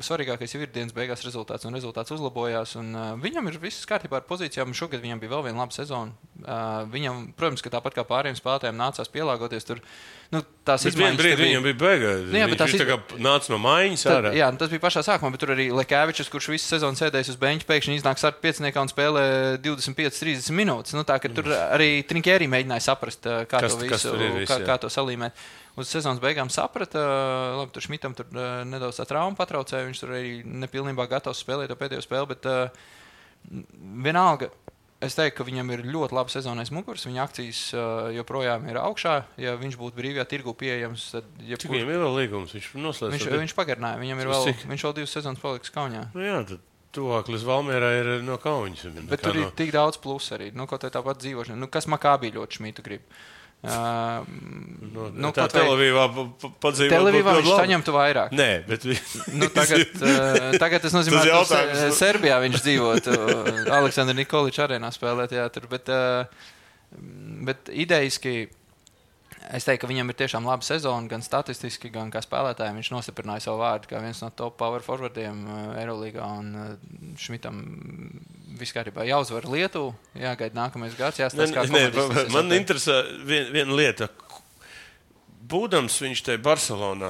svarīgākais ir dienas beigās rezultāts, un rezultāts uzlabojās. Un, uh, viņam ir viss kārtībā ar pozīcijām, un šogad viņam bija vēl viena laba sezona. Uh, viņam, protams, ka tāpat kā pārējiem spēlētājiem nācās pielāgoties tur. Nu, tās bet vienu brīdi viņam bija beiga. Nu, jā, viņš iz... tā kā nāca no maiņas ārā. Jā, tas bija pašā sākumā, bet tur arī Lekēvičs, kurš visu sezonu sēdējis uz beņķa, pēkšņi iznāk starp pieciniekā un spēlē divdesmit piecas trīsdesmit minūtes. Nu, tā, ka tur arī Trinkieri mēģināja saprast, kā kas, to visu, viss, kā, kā to salīmēt. Uz sezonas beigām saprata, labi, tur Šmitam tur nedaudz tā trauma patraucēja, viņš tur arī nepilnībā gatavs spēlēt to pēdējo spēli, bet uh, vienalga. Es teiktu, ka viņam ir ļoti laba sezonais muguras, viņa akcijas uh, joprojām ir augšā. Ja viņš būtu brīvajā tirgu pieejams, tad... Jebkur... Cik viņam ir vēl līgums? Viņš noslēdz? Viņš, viņš pagarināja, viņam ir vēl, cik? Viņš vēl divas sezonas paliks Kaunijā. Nu jā, tad tuvāk līdz Valmierā ir no Kauņas. Bet tur no... ir tik daudz plusu arī. Nu, kaut tā tāpat dzīvošana. Nu, kas Makābī ļoti Šmitu grib? Uh, no, nu, tā Telavīvā padzīvot. Telavīvā viņš saņemtu vairāk. Nē, bet... nu, tagad, uh, tagad tas nozīmē, ka uh, Serbijā viņš dzīvotu. Aleksandra Nikoliča arēnā spēlēt, jā, tur. Bet, uh, bet idejiski, es teiktu, ka viņam ir tiešām laba sezona, gan statistiski, gan kā spēlētājiem. Viņš nostiprināja savu vārdu kā viens no top power forwardiem Eirolīgā, un Šmitam viss kārtībā jāuzvar Lietuvu, jāgaida nākamais gads, jāstāsta, kā komandas. Man interesē vien, viena lieta. Būdams viņš te Barcelonā,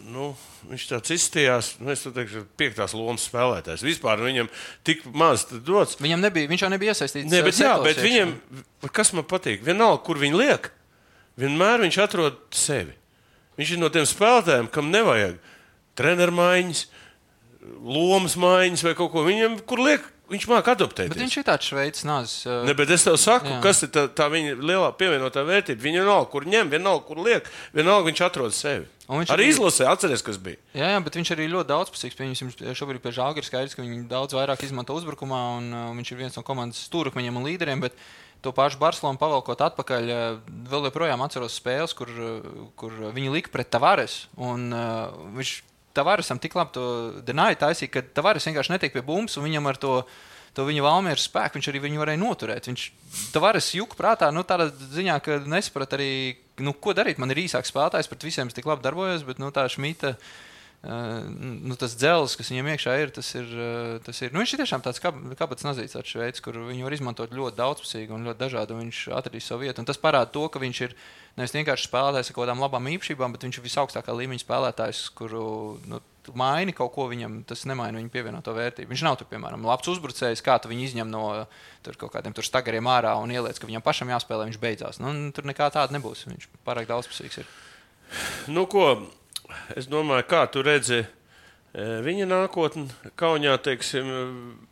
nu, viņš tāds izstījās, nu, es teikšu, piektās lomas spēlētājs. Vispār viņam tik maz dots. Viņam nebija, viņš jau nebija iesaistīts. Ne, bet jā, bet viņam, kas man patīk, vienalga, kur viņi liek, vienmēr viņš atrod sevi. Viņš ir no tiem spēlētājiem, kam nevajag trenermaiņas, lomas maiņas vai kaut ko. Viņam, kur liek, viņš māk adoptēties. Bet viņš ir tāds šveicis nāzis. Uh... Ne, bet es tev saku, jā. Kas ir tā, tā viņa lielā pievienotā vērtība. Viņa vienalga, kur ņem, vienalga, kur liek, vienalga viņš atrod sevi. Arī arī izlasē, atceries, kas bija. Jā, jā, bet viņš arī ļoti daudzpusīgs. Viņš šobrīd pie Žalgiris skaidrs, ka viņi daudz vairāk izmanto uzbrukumā, un uh, viņš ir viens no komandas stūrakmeņiem un līderiem, bet to pašu Barcelonu pavalkot atpakaļ, vēl joprojām atceros spēles, kur, kur viņi lika pret Tavares, un uh, viņš Tavaresam tik labi to denāja taisīja, ka Tavares vienkārši netiek pie bumbas, un viņam ar to, to viņa Valmieras spēku viņš arī viņu varēja noturēt. Viņš Tavares juka prātā, nu tādā ziņā, ka nesaprat arī, nu ko darīt, man ir īsāks spēlētājs, pret visiem es tik labi darbojos, bet nu tā Šmita, Uh, nu, tas dzels, kas viņam iekšā ir, tas ir, uh, tas ir nu, viņš ir tiešām tāds kabats nazīts tāds veids, kur viņu var izmantot ļoti daudzpusīgi un ļoti dažādi, un viņš atradīs savu vietu. Un tas parāda to, ka viņš ir nevis vienkārši spēlētājs ar kaut kādām labām īpašībām, bet viņš ir visaugstākā līmeņa spēlētājs, kuru nu, maini kaut ko viņam, tas nemaina viņu pievienoto vērtību. Viņš nav tur, piemēram, labs uzbrucējs, kā tu viņu izņem no tur kaut kādiem tur stagariem ārā un ieliec, ka viņam pašam jāspēlē, viņš beidzās. Nu, tur nekā tāda nebūs, viņš pārāk daudzpusīgs ir. Nu, ko? Es domāju, kā tu redzi viņa nākotni Kaunijā, teiksim,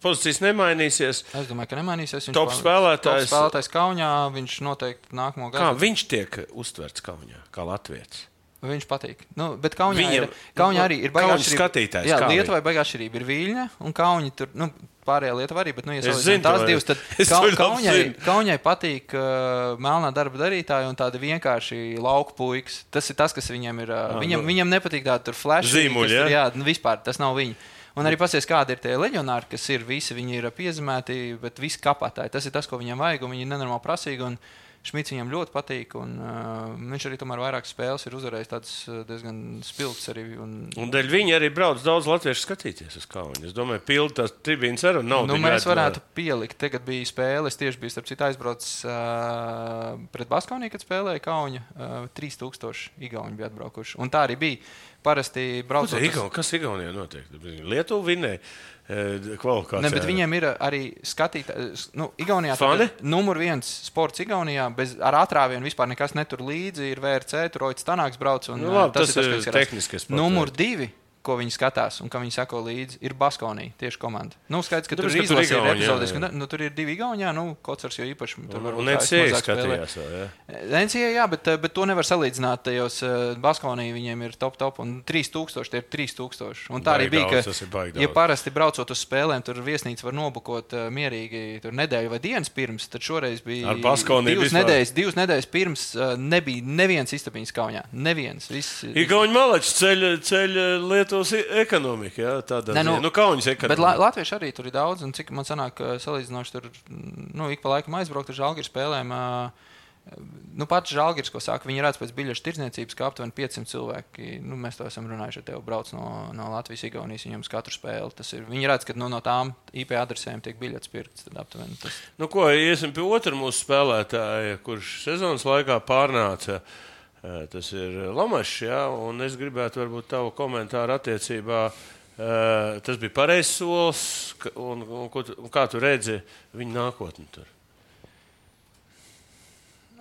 pozīcijas nemainīsies. Es domāju, ka nemainīsies. Top spēlētājs. Top spēlētājs Kaunijā, viņš noteikti nākamo gadu. Kā viņš tiek uztverts Kaunijā, kā latvietis? Viņš patīk. Nu, bet Kaunijā, Viņam, ir, Kaunijā arī ir baigā atšķirība. Jā, Lietuvai baigā atšķirība ir Viļņa un Kauni tur, nu, pārējā Lietuva arī, bet, nu, ja salīdzinām tās divas, tad ka, Kaunijai, Kaunijai patīk uh, melnā darba darītāji un tādi vienkārši lauku puikas. Tas ir tas, kas viņam ir. Uh, viņam, nu, viņam nepatīk tādi tur flash. Zīmuļi, jā? Jā, nu, vispār, tas nav viņi. Un arī pasies, kādi ir tie leģionāri, kas ir visi, viņi ir piezemēti, bet visi kapātāji. Tas ir tas, ko viņam vajag, un viņi ir nenormāli prasīgi. Un Šmits viņam ļoti patīk, un uh, viņš arī tomēr vairākas spēles ir uzvarējis tādas diezgan spilgtas arī. Un, un dēļ viņi arī brauc daudz latviešu skatīties uz Kauni. Es domāju, pildi tās tribīnas ar un naudu. Nu, mēs varētu var... pielikt, tagad bija spēle, es tieši biju starp citu aizbraucis uh, pret Baskauniju, kad spēlēja Kauņa, uh, trīs tūkstoši igauņi bija atbraukuši. Un tā arī bija. Parasti braucot... Igaun, kas Igaunijā notiek? Lietuva vinēja kvalifikācijā. Ne, bet viņiem ir arī skatītāji. Nu, Igaunijā numur viens sports Igaunijā, bez, ar atrāvienu vispār nekas netur līdzi, ir V R C, tur Roits Tanāks brauc. Un, nu, labi, tas, tas ir tas, tehniskais sports. Numur divi, ko viņi skatās un ka viņi sako līdzi, ir Baskaunija, tieši komanda. Nu, skaidrs, ka tur, tur izlasi ir epizodis, ka nu, tur ir divi Igaunijā, nu, Kocars jau īpaši. Un, un N C A A skatījās vēl, jā? N C A A, jā, bet, bet to nevar salīdzināt, tajos Baskaunija viņiem ir top, top, un trīs tūkstoši, tie ir trīs tūkstoši. Un tā arī bija, ka, ja parasti braucot uz spēlēm, tur viesnīca var nobukot uh, mierīgi tur nedēļu vai dienas pirms, tad šoreiz bija divas nedēļas, divas nedēļas pirms uh, nebija neviens istabiņas Kaunijā. Neviens. Viss, Igauņi malači ceļ, ceļ Lietu ekonomika, jā, tādā ne, nu, nu, Kaunis ekonomika. Bet la, latvieši arī tur ir daudz, un cik man sanāk salīdzinoši tur, nu, ik pa laikam aizbraukt ar Žalgiris spēlēm, nu, pats Žalgiris, ko saka, viņi redz pēc biļešu tirdzniecības, ka aptuveni piecsimt cilvēki, nu, mēs to esam runājuši ar tevi, brauc no, no Latvijas Igaunijas, viņam uz katru spēli, tas ir, viņi redz, ka nu, no tām I P adresēm tiek biļetes pirkts, tad aptuveni tas. Nu, ko, iesim pie otru mūsu spēlētāja, kurš sezonas laikā pārnāca. Tas ir Lamašs, jā, un es gribētu varbūt tavu komentāru attiecībā. Tas bija pareizs solis, un, un, un, un kā tu redzi viņa nākotni tur?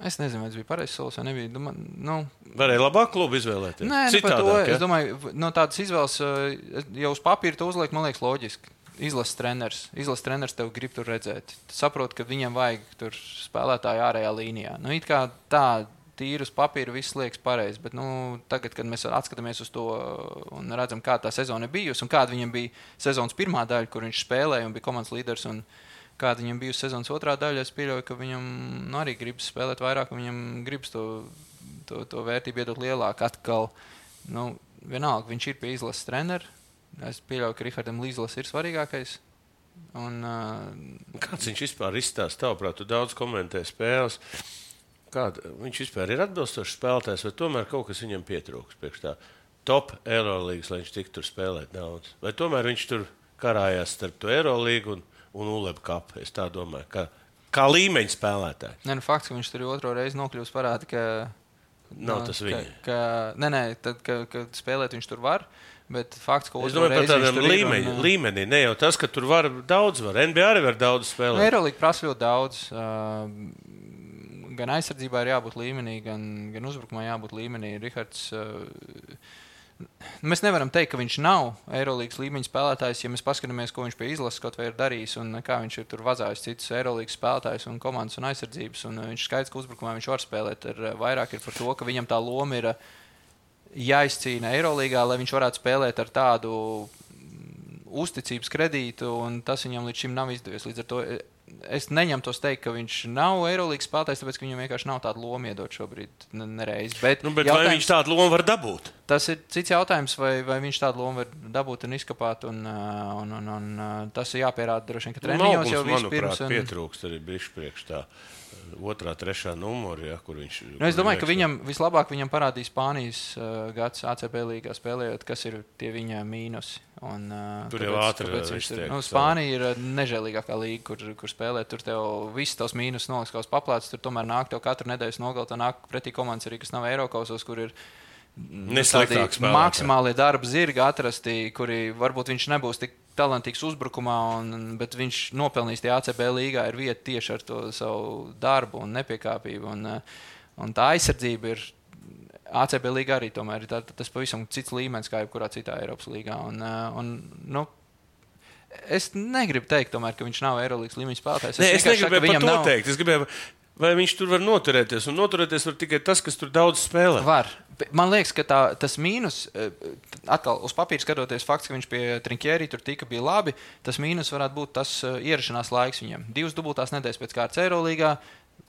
Es nezinu, vai tas bija pareizs solis vai nebija. Doma, nu... Varēja labāk klubu izvēlēties? Nē, nu, par to, es domāju, no tādas izvēles jau uz papīra to uzliek, man liekas, loģiski. Izlases treneris. Izlases treneris tev grib tur redzēt. Tu saproti, ka viņam vajag tur spēlētāju ārējā līnijā. Nu, it kā tā tīri uz papīra viss liekas pareizi, bet nu, tagad, kad mēs atskatāmies uz to un redzam, kā tā sezona bijusi un kāda viņam bija sezonas pirmā daļa, kur viņš spēlēja un bija komandas līderis, un kāda viņam bijusi sezonas otrā daļa, es pieļauju, ka viņam nu, arī gribas spēlēt vairāk, un viņam gribas to, to, to vērtību iedot lielāk. Atkal, nu, vienalga, viņš ir pie izlases trenera. Es pieļauju, ka Rihardam Līzlas ir svarīgākais. Un, uh, Kāds viņš vispār izstāsta? Tavuprāt, tu daudz komentē spēles. Kāda, viņš vispār ir atbilstošs spēlētājs, vai tomēr kaut kas viņam pietrūks priekš tā top Eurolīgas, lai viņš tik tur spēlēt daudz? Vai tomēr viņš tur karājās starp to Eurolīgu un, un U L E B kapu? Es tā domāju, kā, kā līmeņa spēlētāji. Nē, nu fakts, ka viņš tur otro reizi nokļūst parādi, ka... Nav no, tas viņa. Ka, ka, nē, nē, tad, ka, ka spēlēt viņš tur var, bet fakts, ka otro reizi viņš tur līmeņi, ir. Un, līmenī, ne jau tas, ka tur var daudz var. N B A arī var daudz spēlēt. Nu, Eurolīga prasa ļoti daudz. Uh, Gan aizsardzībā ir jābūt līmenī, gan, gan uzbrukumā jābūt līmenī. Rihards, uh, mēs nevaram teikt, ka viņš nav Eirolīgas līmeņa spēlētājs, ja mēs paskatāmies, ko viņš pie izlases kaut vai ir darījis un kā viņš ir tur vazājis citus Eirolīgas spēlētājus un komandas un aizsardzības. Un viņš skaidrs, ka uzbrukumā viņš var spēlēt. Ar, vairāk ir par to, ka viņam tā loma ir jāizcīna Eirolīgā, lai viņš varētu spēlēt ar tādu uzticības kredītu, un tas viņam līdz šim nav izdevies. Līdz ar to es neņemtos teikt, ka viņš nav Eirolīgas spēlētājs, tāpēc, ka viņam vienkārši nav tāda loma iedot šobrīd nereiz. Bet, nu, bet vai viņš tādu lomu var dabūt? Tas ir cits jautājums, vai, vai viņš tādu lomu var dabūt un izkapāt, un, un, un, un tas ir jāpierāda droši vien, ka treniņos jau vispirms. Manuprāt, pietrūkst arī bišķi priekš tā otrā, trešā numuri, ja, kur viņš... Nu, es domāju, ka viņam vislabāk viņam parādīja Spānijas uh, gads A C B līgā spēlējot, kas ir tie viņa mīnusi. Un, uh, tur tāpēc, jau ātri iztiek. Nu, Spānija ir nežēlīgākā līga, kur, kur spēlē. Tur tev viss tavs mīnus noliks kaut paplāts, tur tomēr nāk tev katru nedēļas nogali, tev nāk pretī komandas arī, kas nav Eirokausos, kur ir nesliktāks spēlētāji. Maksimālie darba zirgi atrasti, kuri varbūt viņš nebūs tik talantīgs uzbrukumā, un, bet viņš nopelnīs tie A C B līgā ir vieta tieši ar to savu darbu un nepiekāpību. Un, un tā aizsardzība ir A C B līgā arī tomēr ir tā, tas pavisam cits līmenis kā jebkurā citā Eiropas līgā. Un, un, nu, es negribu teikt, tomēr, ka viņš nav Eirolīgas līmeņa spēlētājs. Es, es negribēju par to nav... teikt. Es gribēju, vai viņš tur var noturēties. Un noturēties var tikai tas, kas tur daudz spēlē. Var. Man liekas, ka tā, tas mīnus, atkal uz papīra skatoties, fakts, ka viņš pie Trinkieri tur tika bija labi, tas mīnus varētu būt tas ierašanās laiks viņam. Divas dubultās nedēļas pēc kārtas Eirolīgā,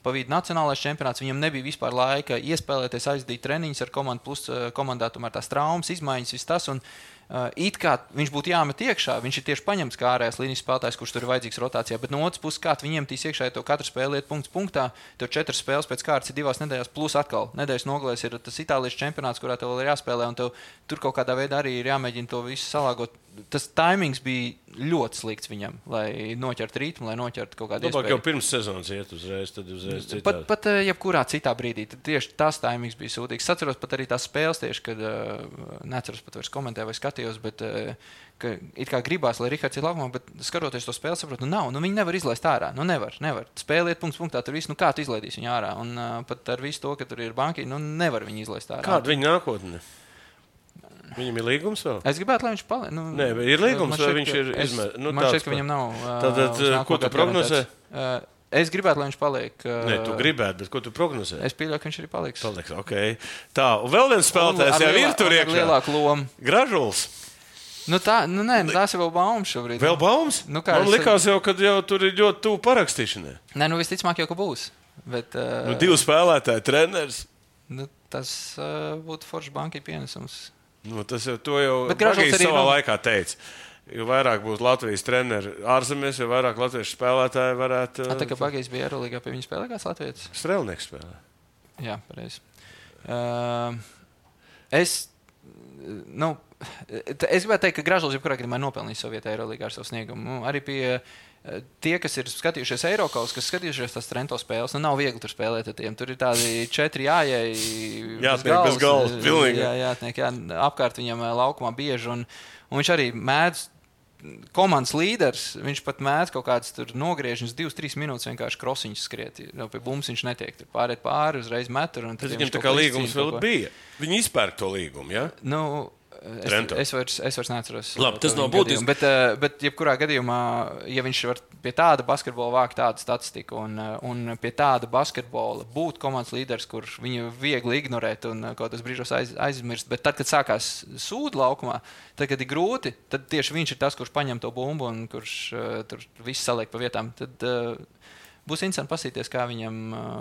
pa vidu nacionālais čempionāts, viņam nebija vispār laika iespēlēties, aizdīt treniņus ar komandu, plus komandā tomēr tās traumas, izmaiņas, viss tas. Un, Uh, it kā viņš būtu jāmet iekšā, viņš ir tieši paņemts kā ārējās līnijas spēlētājs, kurš tur ir vajadzīgs rotācijā, bet no otras puses, kā viņiem tīs iekšā, ja to katru spēli iet punkts punktā, tev četras spēles pēc kārtas ir divās nedēļās, plus atkal nedēļas nogalēs ir tas Itālijas čempionāts, kurā tev vēl ir jāspēlē, un tev tur kaut kādā veidā arī ir jāmēģina to visu salāgot. Tas timings bija ļoti slikts viņam, lai noķertu ritmu, lai noķertu kaut kādu iespēju. Jau pirms sezonas iet uzreiz, tad uzreiz citādi. Pat, pat jebkurā citā brīdī, tad tieši tas timings bija sūdīgs. Es atceros pat arī tās spēles tieši, kad, neatceros pat vairs komentēju vai skatījos, bet ka it kā gribās, lai Rihards ir laukumā, bet skatoties to spēli, saprotu, nu nav, nu viņi nevar izlaist ārā, nu nevar, nevar. Spēle iet punkts punktā, tur viss, nu kā tu izlaidīs viņu ārā, un uh, pat ar visu to, ka tur ir banki, nu nevar viņu izlaist ārā. Kāda viņa nākotne? Viņam ir līgums vēl? Es gribētu, lai viņš paliek. Nu, Nē, ir līgums, vai viņš ir izmēr... Nu, man šķiet, ka viņam nav... Uh, Tātad, ko tu prognozē? Uh, es gribētu, lai viņš paliek... Uh, Nē, tu gribētu, bet ko tu prognozē? Es pieļauju, ka viņš arī paliks. Paliks, okei. Okay. Tā, un vēl viens spēlētājs jau ir tur iekšā. Lielāku lomu. Gražuls. Nu tā, nu nē, tās ir vēl baumas šobrīd. Vēl baumas? Nu, man es... likās jau, kad jau tur ir ļoti tuvu parakstīšanai. Nē, nu visticamāk jau, ka būs. Bet, uh, nu, divi spēlētāji, treneris. Nu, tas uh, būtu foršs bankai pienesums. Nu, tas jau, to jau Bagijs savā no... laikā teica. Jo vairāk būs Latvijas treneri ārzemēs, jo vairāk latviešu spēlētāji varētu... A, tā kā Bagijs bija Eirolīgā, pie viņa spēlē kāds latvietis? Strelnieks spēlē. Jā, pareizi. Uh, es, nu, es gribētu teikt, ka Gražuls jebkurā gadījumā nopelnīs savu vietu Eirolīgā ar savu sniegumu. Arī pie tie, kas ir skatījušies Eirokaus, kas skatījušies tās Trento spēles, nu nav viegli tur spēlēt ar tiem. Tur ir tādi četri jājai jātniek bez galvas, pilnīgi. Jā, jātniek, jā, apkārt viņam laukumā bieži, un, un viņš arī mēdz komandas līderis, viņš pat mēdz kaut kādas tur nogriežņas, divas, trīs minūtes vienkārši krosiņus skriet. Jau pie bums viņš netiek. Tur pāriet pāri, uzreiz metur. Tas viņam tā kā līgums vēl bija. Viņi izpērk to līgumu, jā? Ja? Nu, Es, es, vairs, es vairs neatceros. Labi, tas nav būtiski. Bet, bet jebkurā gadījumā, ja viņš var pie tāda basketbola vākt tādu statistiku un, un pie tāda basketbola būt komandas līderis, kur viņu viegli ignorēt un kaut kādos brīžos aiz, aizmirst, bet tad, kad sākās sūdu laukumā, tad, kad ir grūti, tad tieši viņš ir tas, kurš paņem to bumbu un kurš uh, tur viss saliek pa vietām. Tad, uh, Būs interesanti pasīties, kā viņam,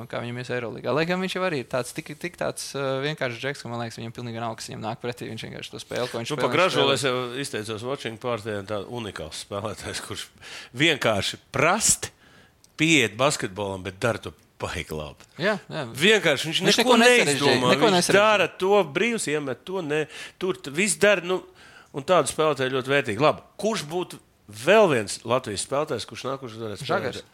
kā viņam ies Eirolīgā. Lai gan viņš jau arī ir tāds, tik, tik tāds vienkārši džeks, ka man liekas, viņam pilnīgi nav, kas viņam nāk pretī. Viņš vienkārši to spēli, ko viņš nu, spēlē. Pa Gražulu es jau izteicos watching partijā, tāds unikāls spēlētājs, kurš vienkārši prasti pieiet basketbolam, bet dara to baigi labi. Jā, jā. Vienkārši viņš, viņš neko neizdomā. Viņš dara to brīvs, iemet to, ne, tur viss dara, nu, un tādu spēlētāju ļoti vērtīgi. Labi, kurš būtu vēl viens Latvijas spēlētājs, kurš nākuši varētu spēlēt? Žagars.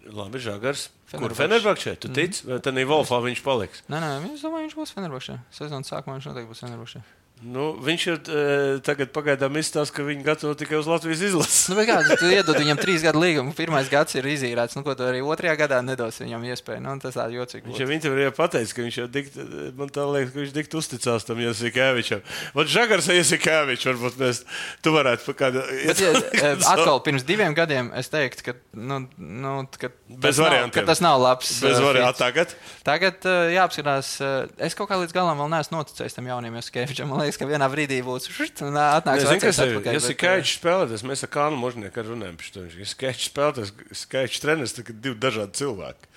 Labi, Žagars. Kur Fenerbahčē? Tu tici? Vai tad Wolfā viņš paliks? Nē, nē, es domāju, viņš būs Fenerbahčē. Sezonas sākumā viņš noteikti būs Fenerbahčē. Nu, viņš ir e, tagad pagaidām izstāsta, ka viņi gatavo tikai uz Latvijas izlases. Nu, kā, tu iedod viņam trīs gadu līgumu, pirmais gads ir izīrēts, nu, ko tu arī otrajā gadā nedos viņam iespēju. Nu, tas tā jocīgi. Viņš jau intervijā pateica, ka viņš jau dikt, man tā liekas, ka viņš dikt uzticās tam Jasikēvičam. Vat Žagars Jasikēvičs, varbūt mēs, tu varētu pa kādu... Bet, ja, atkal, pirms diviem gadiem es teiktu, ka, nu, nu, ka, bez tas, nav, ka tas nav labs. Bez uh, variantiem. Tagad? Tagad uh, jāapskatās, uh, es kaut kā līdz galam vēl neesmu noticējis tam jauniem Jasikēvičam. Man liekas, liekas, ka vienā brīdī būs un atnāks vecais atpakaļ. Ja Skačs spēlētājs, mēs ar Kānu Možnieku runājam par to. Ja Skačs spēlētājs, Skačs treneris, tad divi dažādi cilvēki.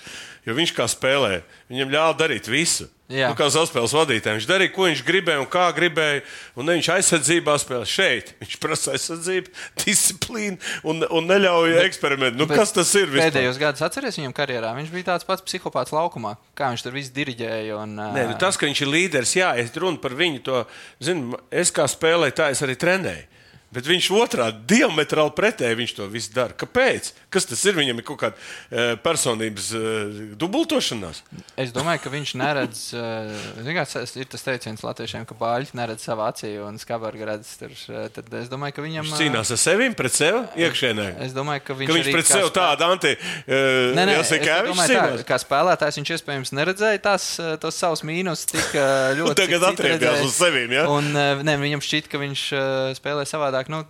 Jo viņš kā spēlē, viņam ļāva darīt visu. Nu, kā saspēles vadītājiem. Viņš darīja, ko viņš gribēja un kā gribēja. Un ne viņš aizsardzībā spēlē šeit. Viņš prasa aizsardzību, disciplīnu un, un neļauj eksperimentu. Nu, kas tas ir vispār? Pēdējos gadus atceries viņam karjerā. Viņš bija tāds pats psihopāts laukumā. Kā viņš tur visu diriģēja. Un, Nē, nu, tas, ka viņš ir līderis, jā, es runu par viņu to. Zinu, es kā spēlēju, tā es arī trenēju. Bet viņš otrā diametrāli pretēji viņš to visu dara. Kāpēc? Kas tas ir? Viņam ir kaut kāda uh, personības uh, dubultošanās? Es domāju, ka viņš neredz, uh, zināms, ir tas teiciens latviešiem, ka bāļi neredz savā acī un skabarga redz tur. Tad es domāju, ka viņam... Viņš cīnās ar sevim, pret sevi, iekšēnē. Es domāju, ka viņš, ka viņš pret sevi tādu anti... Uh, nē, nē, es domāju tā, kā spēlētājs viņš iespējams neredzēja tās, tos savus mīnus tik uh, ļoti... Un tagad atriebjās uz sevim, ja? Un uh, ne, viņam šķiet, ka viņš uh, spēlē savādāk. Nu,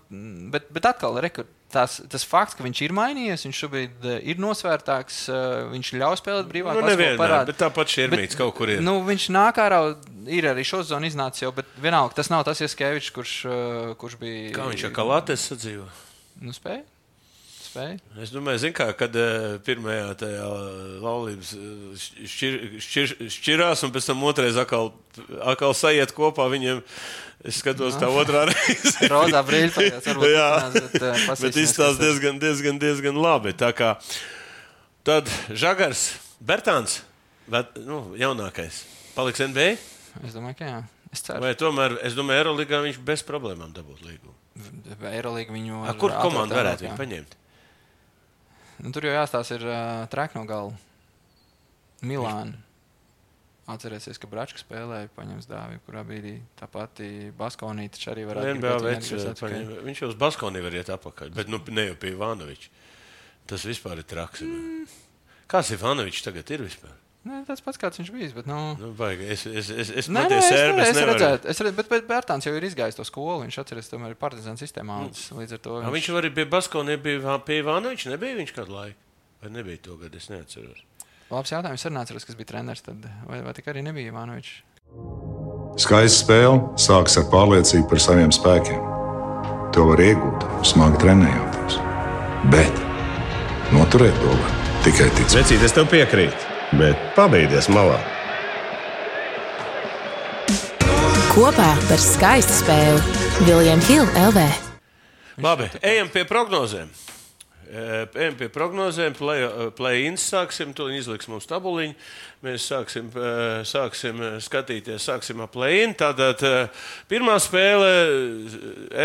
bet, bet atkal, rekur, tās, tas fakts, ka viņš ir mainījies, viņš šobrīd ir nosvērtāks, viņš ļauj spēlēt brīvāk. Nu, nevienmēr, bet tāpat šķirmīts kaut kur ir. Nu, viņš nāk ārā, ir arī šo zonu iznācis jau, bet vienalga, tas nav tas Jaskevičs, kurš, kurš bija... Kā viņš ar Kalates sadzīvo? Nu, spēj. Spēj. Es domāju, zin kā, kad uh, pirmajā tajā laulības šķir, šķir, šķirās un pēc tam otrais atkal, atkal sajiet kopā viņiem... Es skatos no. tā otrā reize. Rodā brīļpājās, varbūt jā, runās, bet, uh, bet izstās diezgan, diezgan, diezgan labi. Tā kā tad Žagars, Bertāns, bet, nu, jaunākais, paliks N B A? Es domāju, ka jā. Es ceru. Vai tomēr, es domāju, Eiroligā viņš bez problēmām dabūt līgumu. Eiroliga viņu... A, kur komanda varētu viņu paņemt? Nu, tur jau jāstās ir uh, Trekno galva. Milāna. Atcerēsies, ka Bračka spēlēja, paņems dāvi, kurā brīdī tā pati Baskonī taču arī varētu gribēt. Viņš jau uz Baskonī var iet apakaļ, bet nu, ne jau pie Ivanoviča. Tas vispār ir traks. Mm. Kāds Ivanovičs tagad ir vispār? Nē, tāds pats, kāds viņš bijis, bet nu... Nu, baigi, es, es, es, es nē, nē, es, sērbi, es, es redzētu, es redzētu, bet, bet Bērtāns jau ir izgājis to skolu, viņš atceries, tomēr ir Partizāna sistēmā, mm. līdz ar to... Viņš, viņš arī pie Baskonī bija pie Ivanoviča, nebija viņš kādu laiku? Vai nebija to gadu, es neatceros. Labs jautājums, arī neatceros, kas bija treneris, tad vai, vai tik arī nebija Ivanovičs? Skaista spēle sākas ar pārliecību par saviem spēkiem. To var iegūt, smagi trenējoties. Bet noturēt to var tikai ticēt. Vecīt, es tev piekrītu, bet pabeigties malā. Kopā par skaistu spēli William Hill L V. Labi, ejam pie prognozēm. Ejam pie prognozēm, play-ins sāksim, to izliks mums tabuliņu. Mēs sāksim, sāksim skatīties, sāksim ar play-in. Tātad pirmā spēle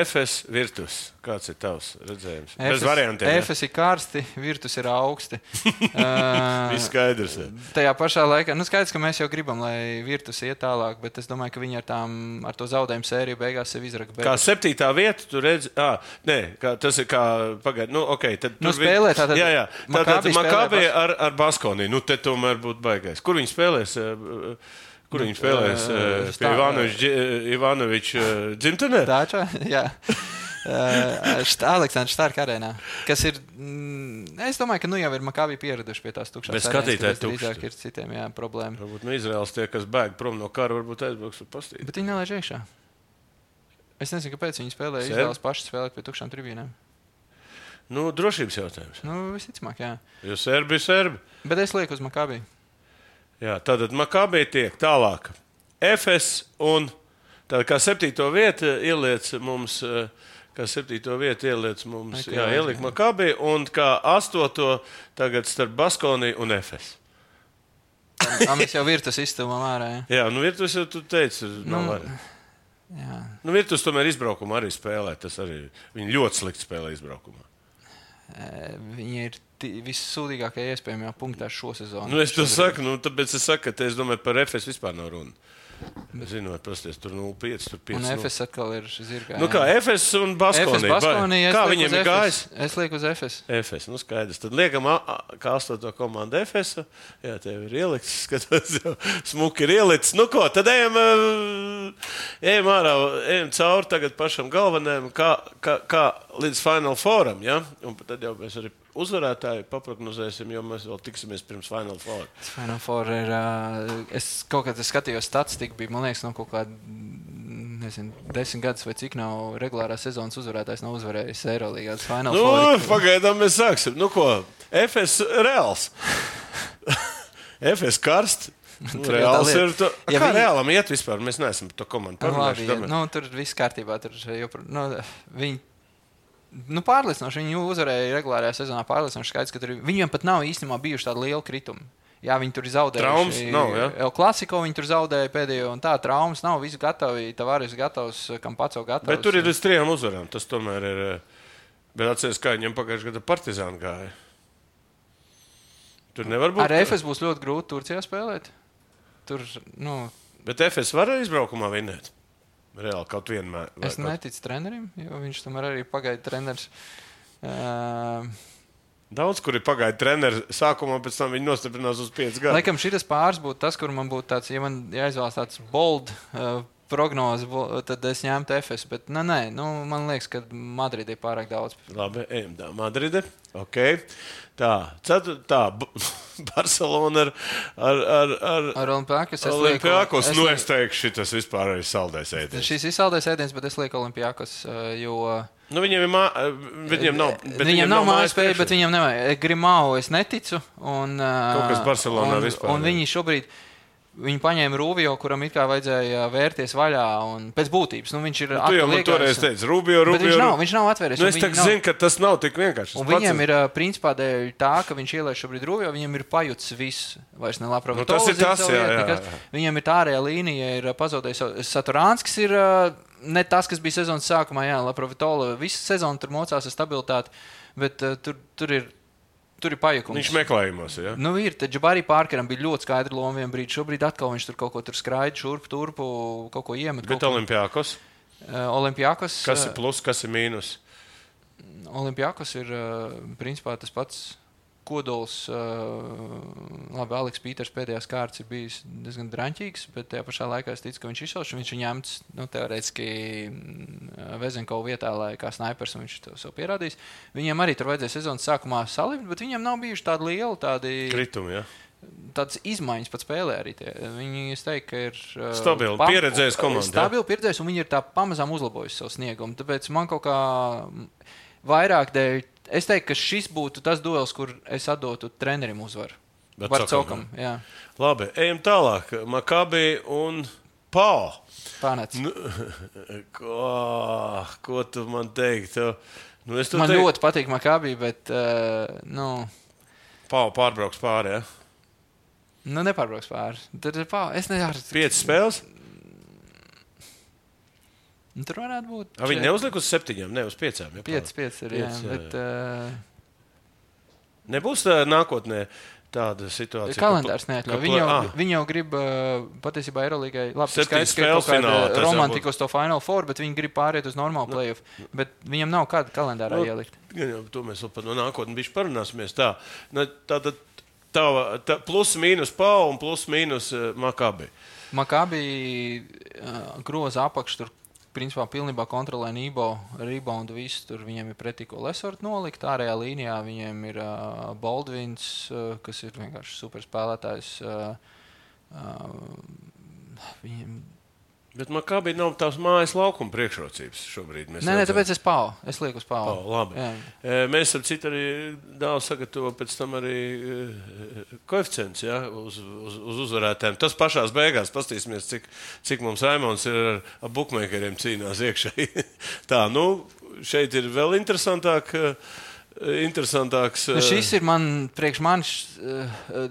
F S Virtus. Kāds ir tavs redzējums? Bez variantiem. F S ir karsti, Virtus ir augsti. Viss skaidrs. Ja. Tajā pašā laikā, nu skaidrs, ka mēs jau gribam, lai Virtus iet tālāk, bet es domāju, ka viņi ar, tām, ar to zaudējumu sēriju beigās sev izraka. Kā septītā vieta, tu redzi, ā, nē, kā, tas ir kā, pagaid, nu, ok. Tad nu, spēlē tātad. Jā, jā, tātad Makabī ar, ar Baskonī, nu, te tomēr būtu baigais. Kur viņi spēlēs? Kur viņi spēlēs? Uh, pie Ivanoviča dzimtenē? Tāčā, jā. Uh, Aleksandrs Stārka arēnā, kas ir, mm, es domāju, ka nu jau ir Makabī pieraduši pie tās tukšās arēnas. Bet skatītāji tukši. Drīzāk ir citiem, jā, problēma. Varbūt no Izraels tie, kas bēg prom no kara, varbūt aizbrauks un pastīt. Bet viņi nelaiž iekšā. Es nezinu, kāpēc viņi spēlēja, Izraels paši spēlēt pie tukšām tribīnēm. Nu, drošības jautājums. Nu, visticamāk, jā. Jo serbi ir serbi. Bet es lieku uz Makabī. Jā, tātad Makabī tiek tālāk. F S un tātad kā septīto vietu ieliec mums... Kā septīto vietu ieliec mums, jā, ieliek Makabī, un kā astoto tagad starp Baskonī un F S. Tā mēs jau Virtus izstūmām ārā, jā? Jā, nu Virtus jau tu teici, nav nu, arī. Jā. Nu Virtus tomēr izbraukumā arī spēlē, tas arī, viņi ļoti slikti spēlē izbraukumā. Viņi ir vissūdīgākie iespējamajā punktā šo sezonu. Nu es to saku, nu tāpēc es saku, ka te es domāju par F S vispār nav runa. Zinot, pasties, tur nulle pieci, tur pieci. Un F S atkal ir zirgā. Nu kā, F S un Baskonī. F S Baskonī, kā viņiem ir gājis? Es lieku uz F S. F S, nu skaidrs. Tad liekam, kā astoto komandu F S. Jā, tev ir ielikts, skatos jau, smuki ir ielikts. Nu ko, tad ejam, ejam ārā, ejam cauri tagad pašam galvenajam, kā, kā, kā līdz Final Fouram, ja? Un tad jau mēs arī uzvarētāji paprognozēsim, jo mēs vēl tiksimies pirms Final Four. Final Four ir, uh, es kaut kad skatījos statistiku, bija, man liekas, no kaut kāda nezinu, desmit gadus vai cik nav regulārās sezonas uzvarētājs, nav uzvarējis Eirolīgās Final Nu, Four. pagaidām mēs sāksim. Nu ko, F S Reāls. F S karst. Nu, Reāls ir to. Ja kā viņi... Reālam iet vispār? Mēs neesam to komandu parunājuši. Labi, nu, tur viss kārtībā. Tur jopr... nu, viņi nu, pārliecinoši. Viņi uzvarēja regulārajā sezonā pārliecinoši skaidrs, ka tur viņiem pat nav īstenībā bijuši tādi lieli kritumi. Jā, viņi tur ir zaudējuši. Traumas nav, jā? El Klasiko viņi tur zaudēja pēdējo, un tā traumas nav. Visi gatavi, Tavares gatavs, Kampaco gatavs. Bet tur ir līdz trijām uzvarām. Tas tomēr ir. Bet atceries, kā viņiem pagājušajā gada Partizāna gāja. Tur nevar būt. Ar F S būs ļoti grūti Turcijā spēlēt. Tur, nu... Bet F S var izbraukumā vinēt? Reāli kaut vienmēr. Es kaut... neticu trenerim, jo viņš tomēr arī pagaida treneris. Uh... Daudz, kur ir pagaida treneris sākumā, pēc tam viņi nostiprinās uz piecus gadus. Laikam šitas pāris būtu tas, kur man būtu tāds, ja man jāizvēlas tāds bold uh, prognoze, tad es ņemtu F S. Bet, nē, nē, nu, man liekas, ka Madride ir pārāk daudz. Labi, ejam tā. Madride. Ok. Tā. Cetur, tā. Barcelona ar... Ar, ar, ar, ar Olimpiakos. Olimpiakos. Nu, es teikšu, šitas vispār ir saldais ēdiens. Šis ir saldais ēdiens, bet es lieku Olimpiakos, jo... Nu, viņiem, mā... viņiem nav, viņiem viņiem nav mājas spēja, bet viņiem nevajag. Grimau es neticu. Un, kaut kas Barcelonā un, vispār. Un viņi šobrīd... Viņi paņēma Rubio, kuram it kā vajadzēja vērties vaļā, un pēc būtības, nu viņš ir nu, tu jau man toreiz teici, Rubio, Rubio. Bet viņš nav, viņš nav atvēries. Nu, es tā zinu, ka tas nav tik vienkārši. Un viņam ir, principā, dēļ tā, ka viņš ielaiž šobrīd Rubio, viņam ir pajuts viss, vairs ne labprāt. Nu, tas ir tas, jā, jā, jā. Viņam ir tā ārējā līnija, ir pazaudējis. Saturānskis ir ne tas, kas bija sezonas sākumā, jā, Laprovitola. Visu sezonu tur mocās ar stabilitāti, bet uh, tur, tur ir. Tur ir pajukums. Viņš meklējumos, ja? Nu, ir. Tad Džabari Pārkeram bija ļoti skaidra loma vienā brīdī. Šobrīd atkal viņš tur kaut ko tur skraida, šurp, turpu, kaut ko iemet. Bet Olimpiakos? Uh, Olimpiakos. Kas ir plus, kas ir mīnus? Olimpiakos ir, uh, principā, tas pats kodols. Uh, labi, Aleks Pīters pēdējās kārtas ir bijis diezgan draņķīgs, bet tajā pašā laikā es ticu, ka viņš izšauš. Viņš ir ņemts, nu, teorētiski Vezenkovu vietā, lai kā snaipers, un viņš to sev pierādījis. Viņiem arī tur vajadzēja sezonas sākumā salikt, bet viņiem nav bijuši tādi lieli tādi... Kritumi, ja? Tādas izmaiņas pat spēlē arī tie. Viņi, es teiktu, ka ir... Uh, stabili, pam... pieredzējis komanda. Stabili pieredzējis, un viņi ir tā pamazām uzlabojuši savu sniegumu. Tāpēc man kaut kā vairāk dēļ... Es teiktu, ka šis būtu tas duels, kur es atdotu trenerim uzvaru. Barcokam, jā. Labi, ejam tālāk. Makabi un Pau. Pārnēc. Nu, ko, ko tu man teiktu? Nu, es man teiktu... ļoti patīk Makabi, bet, uh, nu... Pau pārbrauks pāri, ja? Nu, nepārbrauks pāri. Tad ir Pau. Es nezinu. Piecas spēles? Nu, tur varētu būt. A, viņi neuzliek uz septiņām, ne uz piecām. Ja, piecas, piecas ir, jā. Bet, uh... nebūs tā nākotnē tāda situācija. Kalendārs neatļauj. Viņi, ah. viņi jau grib, uh, patiesībā, Eirolīgai, labi, skaidrs, ka ir kaut kāda romantika uz to Final Four, bet viņi grib pāriet uz normālu playoff. No. Bet viņam nav kāda kalendārā no, ielikt. Jā, to mēs vēl par no nākotni bišķi parunāsimies. Tā, tātad tā, tā, plus mīnus Pau un plus mīnus uh, Makabi. Makabi uh, groza apakš tur. Principā pilnībā kontrolē Nībo, reboundu visu, tur viņiem ir pretī, ko Lesort nolikt. Ārējā līnijā viņiem ir uh, Baldvins, uh, kas ir vienkārši super spēlētājs. Uh, uh, viņiem... Bet Makabi nav tās mājas laukuma priekšrocības šobrīd. Mēs nē, nē, tāpēc es Pau. Es lieku uz Pau. Pau, labi. Jā. Mēs ar citu arī daudz sagatavo pēc tam arī koeficients, ja, uz, uz, uz uzvarētēm. Tas pašās beigās, pastīsimies, cik, cik mums Raimons ir ar, ar bukmeikeriem cīnās iekšēji. Tā, nu, šeit ir vēl interesantāk. Interesantāks. Šis ir man, priekš manis, uh,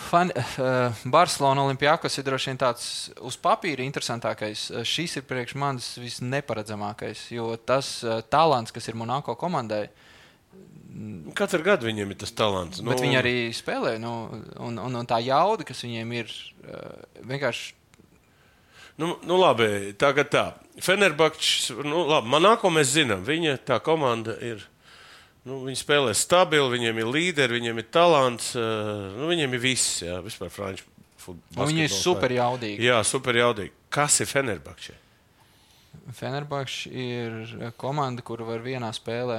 fan, uh, Barcelona Olimpiakos ir droši vien tāds uz papīra interesantākais. Šis ir priekš manis visneparedzamākais, jo tas uh, talants, kas ir Monako komandai. Katru gadu viņiem ir tas talants. Bet nu... viņi arī spēlē, nu, un, un, un tā jauda, kas viņiem ir, uh, vienkārši. Nu, nu labi, tagad tā. Fenerbahčs, nu labi, Monako mēs zinām, viņa tā komanda ir. Nu, viņi spēlē stabili, viņiem ir līderi, viņiem ir talants, uh, nu, viņiem ir viss, jā, vispār franču futbols. Viņi ir super jaudīgi. Jā, super jaudīgi. Kas ir Fenerbahčē? Fenerbahčs ir komanda, kur var vienā spēlē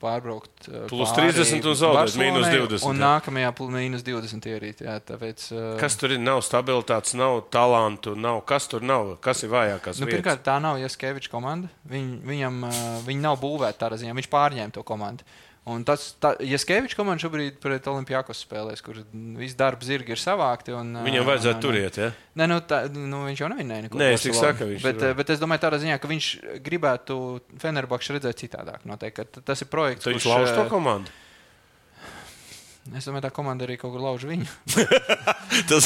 pārbraukt plus trīsdesmit un zaudēt mīnus divdesmit. Un nākamajā mīnus divdesmit ierīt. Jā, tāpēc, kas tur ir? Nav stabilitātes, nav talantu, nav. Kas tur nav? Kas ir vājākās nu, vietas? Pirmkārt, tā nav Jaskeviča komanda. Viņ, viņam, viņi nav būvēti tādā ziņā. Viņš pārņēma to komandu. Un tas, tā, Jaskeviča komanda šobrīd pret Olimpiakos spēlēs, kur viss darba zirgi ir savākti. Un, viņam vajadzētu un, turiet, ja? Nē, nu, tā, nu, viņš jau nevinnēja neko. Nē, es tik saku, viņš bet, bet es domāju tādā ziņā, ka viņš gribētu Fenerbahču redzēt citādāk. Noteikti, tas ir projekts, kurš... Viņš lauž to komandu? Es domāju, tā komanda arī kaut kur lauž viņu. tas...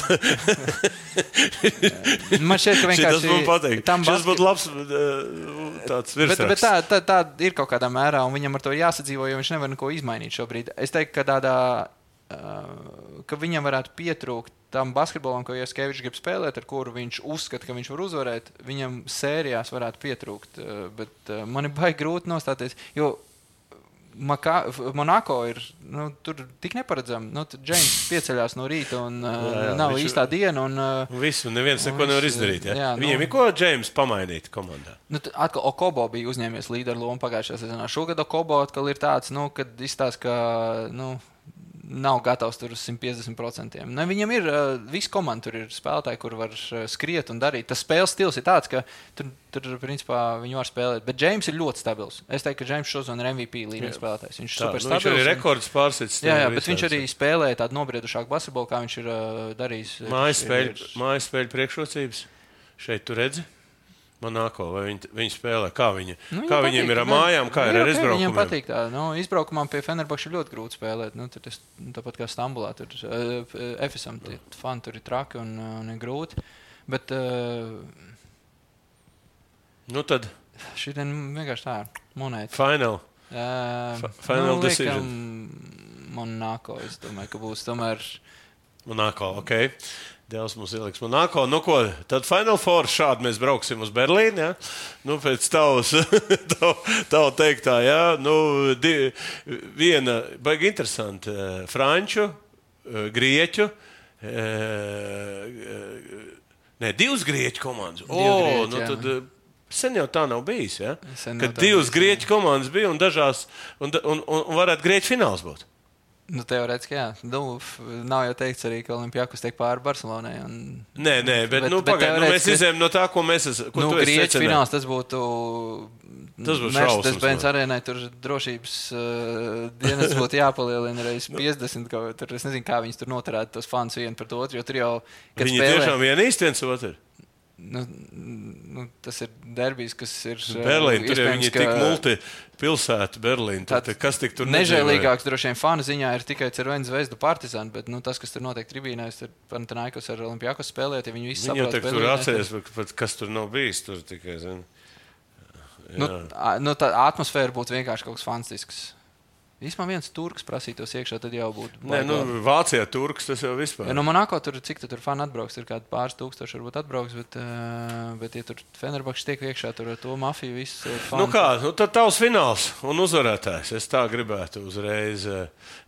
Man šķiet, ka vienkārši... Tas man patīk. Šis basket... būtu labs tāds virsraksts. Bet, bet tā, tā, tā ir kaut kādā mērā, un viņam ar to jāsadzīvo, jo viņš nevar neko izmainīt šobrīd. Es teiktu, ka tādā, ka viņam varētu pietrūkt tam basketbolam, ko Jaskevičs grib spēlēt, ar kuru viņš uzskata, ka viņš var uzvarēt, viņam sērijās varētu pietrūkt. Bet man ir baigi grūti nostāties, jo Maka, Monako ir nu, tur tik neparedzami. Nu, Džeims pieceļās no rīta un jā, jā, nav viņš... īstā diena. Un, visu, neviens neko nevar izdarīt. Ja? Jā, Viņiem nu, ir ko Džeims pamainīt komandā? Nu, atkal Okobo bija uzņēmies līderu lomu pagājušajā sezonā. Šogad Okobo atkal ir tāds, nu, kad izstāsta, ka nu, nav gatavs tur uz simt piecdesmit procentiem. Ne, viņam ir uh, viss komanda, tur ir spēlētāji, kur var uh, skriet un darīt. Tas spēles stils ir tāds, ka tur, tur principā viņi var spēlēt. Bet Džeims ir ļoti stabils. Es teiktu, ka Džeims šozon ir M V P līmeņa spēlētājs. Viņš ir tā, super nu, stabils. Viņš arī rekords pārsits. Jā, jā, bet viņš arī spēlēja tādu nobriedušāku basketbolu, kā viņš ir uh, darījis. Mājas spēļu, mājas spēļu priekšrocības. Šeit tu redzi? Monako, vai viņi, viņi spēlē, kā, viņa, nu, kā viņiem ir ar mājām, kā ir ar izbraukumiem? Viņiem patīk tā. Nu, izbraukumam pie Fenerbahča ir ļoti grūti spēlēt. Nu, tas, tāpat kā Stambulā, tur uh, Efesam, tie fani tur ir traki un, un ir grūti. Bet uh, nu tad šitien vienkārši tā ir monēta. Final. Uh, Final nu, decision. Monako, es domāju, ka būs tomēr... Monako, ok. Dievs mums ieliks Monako. Nu ko, tad Final Four šādi mēs brauksim uz Berlīnu, ja? Nu, pēc tavas, tav, tav teiktā, ja? Nu, di, viena, baigi interesanti, franču, grieķu, ne, divas grieķu komandas. O, grieķi, nu jā. tad sen jau tā nav bijis, ja? Sen Kad divas bijis, grieķu komandas bija un dažās, un, un, un, un varētu grieķu fināls būt. Nu, teorētiski, jā. Nu, nav jau teikts arī, ka Olimpiakos tiek pāri Barcelonai. Un... Nē, nē, bet, bet, nu, pagaid, nu, mēs izējām no tā, ko mēs esam. Nu, grieķu fināls tas būtu. Tas būtu šausmas. Tas Benz arēnai tur drošības uh, dienas būtu jāpalielina reiz piecdesmit. Ka, tur, es nezinu, kā viņas tur noturētu tos fans vienu pret otru, jo tur jau. Viņi spēlē, tiešām vienīsti viens otru. Nu, nu, tas ir derbijs, kas ir. Berlīna, tur jau viņi ir tik multipilsēta Berlīna. Tad, kas tik tur nežēlīgāks droši vien fanu ziņā ir tikai Cervena Zvezda Partizan, bet nu, tas, kas tur notiek tribīnēs, ir Panathinaikos ar Olimpiakos spēlēt, ja viņi visi saprot. Viņi jau spēlēt, tur atceries, tad... kas tur nav bijis, tur tikai, zini. Nu, nu, tā atmosfēra būtu vienkārši kaut kas fantastisks. Vispār viens turks prasītos iekšā, tad jau būtu. Nē, nu, Vācijā turks tas jau vispār. Ja, no Monako tur, cik tu tur fani atbrauks, ir kādi pāris tūkstoši varbūt atbrauks, bet, uh, bet ja tur Fenerbahčs tiek iekšā, tur ar to mafiju visu fani. Nu kā, nu tad tavs fināls un uzvarētājs. Es tā gribētu uzreiz.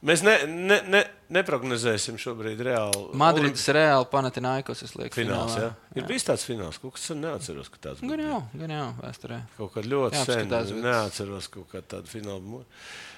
Mēs ne, ne, ne, neprognozēsim šobrīd reāli. Madrids Olim... reāli Panathinaikos, es lieku fināls, finālā. Jā? Ir bijis tāds fināls, kaut kas neatceros, ka tāds būtu. Gan jau, gan jau, vēsturē. Kaut kad ļoti sen bet... neatceros kaut kā tādu finālu.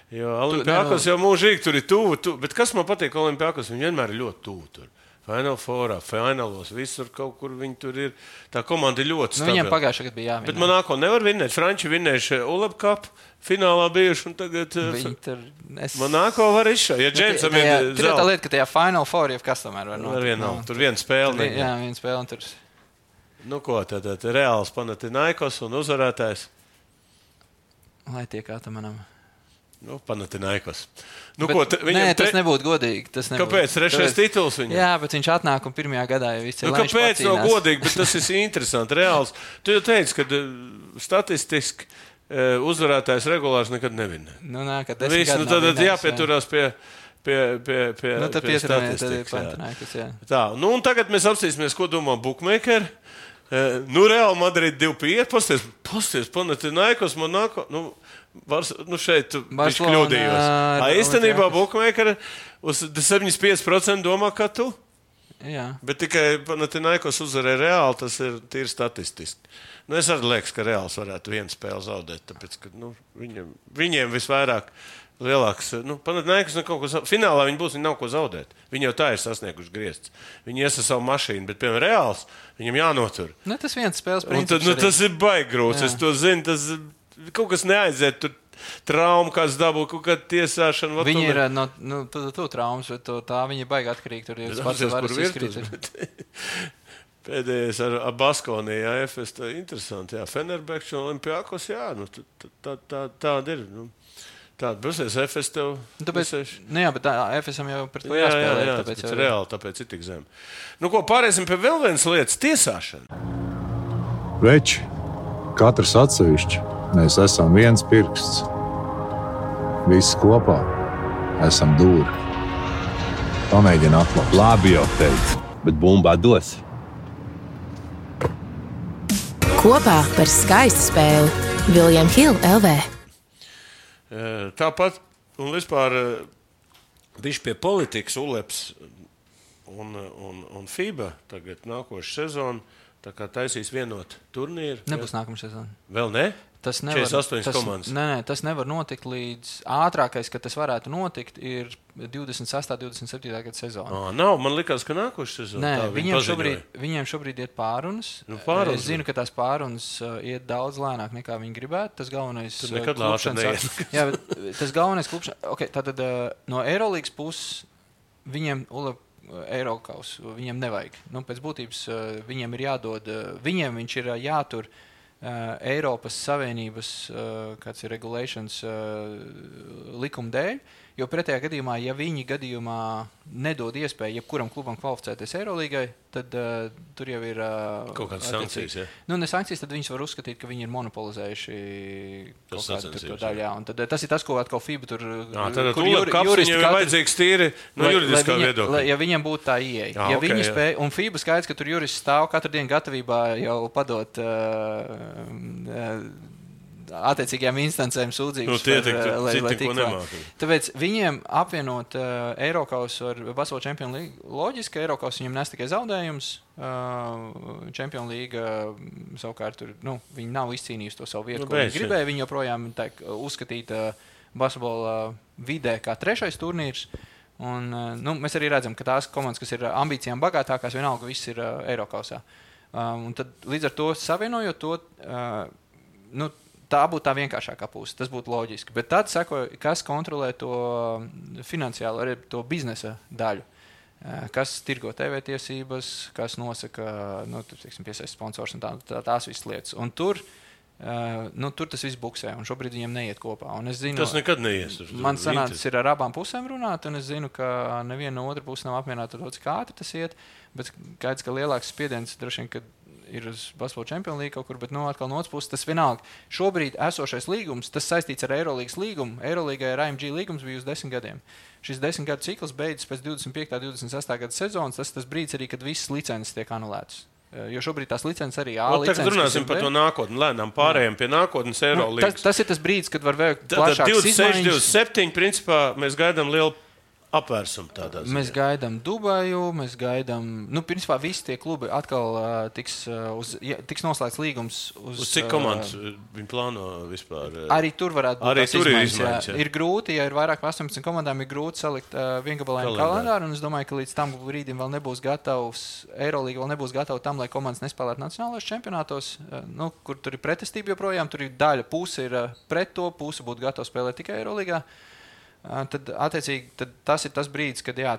Jo Olimpiakos jau mūžīgi tur ir tuvu, tu, bet kas man patīk Olimpiakos, viņi vienmēr ir ļoti tuvu tur. Final Fourā, finālos, visur kaut kur viņi tur ir. Tā komanda ir ļoti stabila. Nu, viņiem pagājušā gadu bija jāvinē. Bet Monako nevar vinēt. Franči vinējuši Uleb Cup finālā bijuši un tagad tur, es... Monako var izšā. Ja Džeimsam ir zelta. Tur ir tā lieta, ka tajā Final Four jau kas tomēr var notikt. Vien nav. Tur viena spēle. Tur, jā, viena spēle un tur. Nu ko, tad, tad reāls Panathinaikos un uzvarētājs. Lai tiek atamanam. Nu, Panathinaikos. Nu, bet, ko, te, nē, tas ne... nebūtu godīgi. Tas nebūtu. Kāpēc? Trešais tituls viņam? Jā, bet viņš atnāk un pirmajā gadā jau viss ir. Nu, kāpēc nav godīgi, bet tas ir interesanti, reāls. Tu jau teici, ka statistiski uzvarētājs regulārs nekad nevinē. Nu, nā, kad Viss, nu, tad vinējis, jāpieturās pie, pie, pie, pie, nu, pie statistikas. Panathinaikos, jā. Tā, nu, un tagad mēs apstīsimies, ko domā bookmakeri. Nu, Real Madrid divi pieci, pasties, pasties, Panathinaikos, Monako, nu, vars, nu šeit viņš kļūdījos. A, īstenībā bookmakeri uz septiņdesmit pieci procenti domā, kā tu? Jā. Bet tikai Panathinaikos uzvarēja Reāli, tas ir tīri statistiski. Nu, es arī liekas, ka Reāls varētu vienu spēli zaudēt, tāpēc, ka nu, viņiem, viņiem visvairāk lielāks, nu, Panathinaikos kaut ko zaudēt. Finālā viņi būs, viņi nav ko zaudēt. Viņi jau tā ir sasnieguši griezts. Viņi ies ar savu mašīnu, bet, piemēram, Reāls, viņam jānotur. Ne, tas viens spēles Un princips. tad, nu, tas ir baigrūts, es to zinu, tas kaut kas neaiziet tur. Trauma, kāds dabū, kaut kāda tiesāšana. Viņi ir no nu, tu, tu, tu traumas, bet to, tā viņi ir baigi atkarīgi. Tur ir pats varas izkrīt. Pēdējais ar, ar Baskoniju, jā, F S, tā ir interesanti. Jā, Fenerbahčs un Olimpiakos, jā, nu, tā, tā, tā, tāda ir. Nu, tāda būsies F S tev. Tāpēc, nu jā, bet tā F S-am jau pret to jāspēlē. Jā, jā, jā, tāpēc tāpēc jau... reāli, tāpēc ir tik zem. Nu, ko pārēsim pie vēl vienas lietas, tiesāšana. Veči, katrs atsevišķi. Mēs esam viens pirksts. Visi kopā esam dūri. Pamēģini atklāt. Labi jau teicu, bet bumbā dos. Kopā par skaistu spēli William Hill L V. Tāpat, un vispār viņš pie politikas Uleps un, un, un FIBA tagad nākošu sezonu tā kā taisīs vienot turnīru. Nebūs nākamā sezona. Vēl ne? Tas nevar, četrdesmit astoņas tas, komandas. Nē, nē, tas nevar notikt līdz ātrākais, kad tas varētu notikt, ir divdesmit sestā, divdesmit septītā gada sezona. Oh, nav, man likās, ka nākošais sezona. Nē, tā viņiem, viņi šobrīd, viņiem šobrīd iet pārunas. Nu, pārunas. Es zinu, ka tās pārunas uh, iet daudz lēnāk nekā viņi gribētu. Tas galvenais Tur nekad lāta neies. Jā, bet tas galvenais klubšanas. Okay, tātad uh, no Eirolīgas puses viņiem Ulep Eirokaus, viņiem nevajag. Nu, pēc būtības uh, viņiem ir jādod, uh, viņiem viņš ir uh, jātur Uh, Eiropas Savienības uh, kāds ir regulations uh, likuma dēļ, jo pretējā gadījumā, ja viņi gadījumā nedod iespēju jebkuram klubam kvalificēties Eirolīgai, tad uh, tur jau ir uh, kaut kādas sankcijas, ja? Nu, ne sankcijas, tad viņus var uzskatīt, ka viņi ir monopolizējuši kaut kādu tur to daļu, jā. Un tad tas ir tas, ko atkal FIBA tur, jā, tad kur juri, juristi ir vajadzīgs tīri no lai, juridiskā lai viņa, viedokļa. Lai, ja viņam būtu tā ieeja. Jā, ja okay, viņi spēj, un FIBA skaidrs, ka tur jurists stāv katru dienu gatavībā jau padot uh, uh, attiecīgajām instancēm sūdzības. Nu, tie tik, par, lai, lai ko nemāki. Tāpēc viņiem apvienot uh, Eirokausu ar Basketbola Champions League, loģiski, Eirokausu viņam nes tikai zaudējums, uh, Champions League uh, savukārt tur, nu, viņi nav izcīnījusi to savu vietu, nu, ko viņi gribēja, viņi joprojām tā, uzskatīt uh, basketbola vidē kā trešais turnīrs. Un, uh, nu, mēs arī redzam, ka tās komandas, kas ir ambīcijām bagātākās, vienalga viss ir uh, Eirokausā. Um, un tad līdz ar to savienojot to, uh, nu, tā būtu tā vienkāršākā puse, tas būtu loģiski. Bet tad sako, kas kontrolē to finansiālo, arī to biznesa daļu. Kas tirgo T V tiesības, kas nosaka, nu, teiksim, piesaist sponsors un tā, tā, tās visas lietas. Un tur, nu, tur tas viss buksē, un šobrīd viņiem neiet kopā. Un es zinu, tas nekad neies. Man sanācis ir ar abām pusēm runāt, un es zinu, ka neviena no otra puses nav apmierināta ar to, cik ātri tas iet, bet kāds, ka lielāks spiediens droši vien, kad ir uz Basketbola Champions League kaut kur, bet nu, atkal no otras puses tas vienalga. Šobrīd esošais līgums, tas saistīts ar Eirolīgas līgumu. Eirolīgai ar A M G līgums bija uz desmit gadiem. Šis desmit gadu cikls beidzas pēc divdesmit piektā, divdesmit sestā gada sezonas. Tas ir tas brīdis arī, kad visas licences tiek anulētas. Jo šobrīd tās licences arī A licences. Tagad runāsim par to nākotni, lēnām pārējiem pie nākotnes Eirolīgas. Nu, tas, tas ir tas brīdis, kad var veikt plašākas divdesmit seši, divdesmit septiņi, principā mēs gaidām lielu apvērsumu tādā ziņā. Mēs gaidām Dubaju, mēs gaidām, nu, principā visi tie klubi atkal uh, tiks, uh, uz, ja, tiks noslēgts līgums uz... Uz cik komandas uh, viņi plāno vispār? Uh, arī tur varētu būt arī tās tur izmaiņas. Ir, izmaiņas, jā. Ir grūti, ja ir vairāk astoņpadsmit komandām, ir grūti salikt uh, viengabalainu kalendāru, un es domāju, ka līdz tam brīdim vēl nebūs gatavs, Eirolīga vēl nebūs gatava tam, lai komandas nespēlētu nacionālajos čempionātos, uh, nu, kur tur ir pretestība joprojām, tur ir daļa, puse ir uh, pret to, puse būtu gatava spēlēt tikai Eirolīgā. Tad, attiecīgi, tad tas ir tas brīdis, kad jā,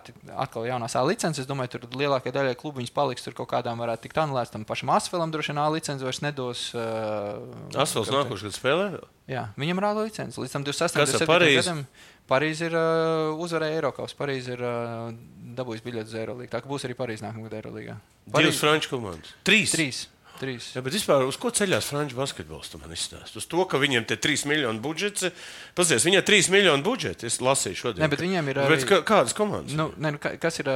atkal jaunās A licences, es domāju, tur lielākajai daļai klubu viņas paliks, tur kaut kādām varētu tikt anulēts, tam pašam Asfelam droši vien A licences vairs nedos. Uh, Asfels nākošais, kad spēlē? Jā, viņam ir A licences. Līdz tam divdesmit sestajam, Kas ar divdesmit septītajam Parīzi? gadam Parīzi ir uh, uzvarēja Eirokaus. Parīzi ir uh, dabūjis biļetes uz Eirolīgu. Tā ka būs arī Parīzi nākamgad Eirolīgā. Divas franču komandas. Trīs? Trīs. Trīs. Jā, bet vispār uz ko ceļās franču basketbols, tu man izstāst? Uz to, ka viņiem te trīs miljonu budžets. Pazies, viņiem trīs miljonu budžeti. Es lasīju šodien. Ne, bet viņiem ir arī... Bet kādas komandas? Nu, ne, kas ir,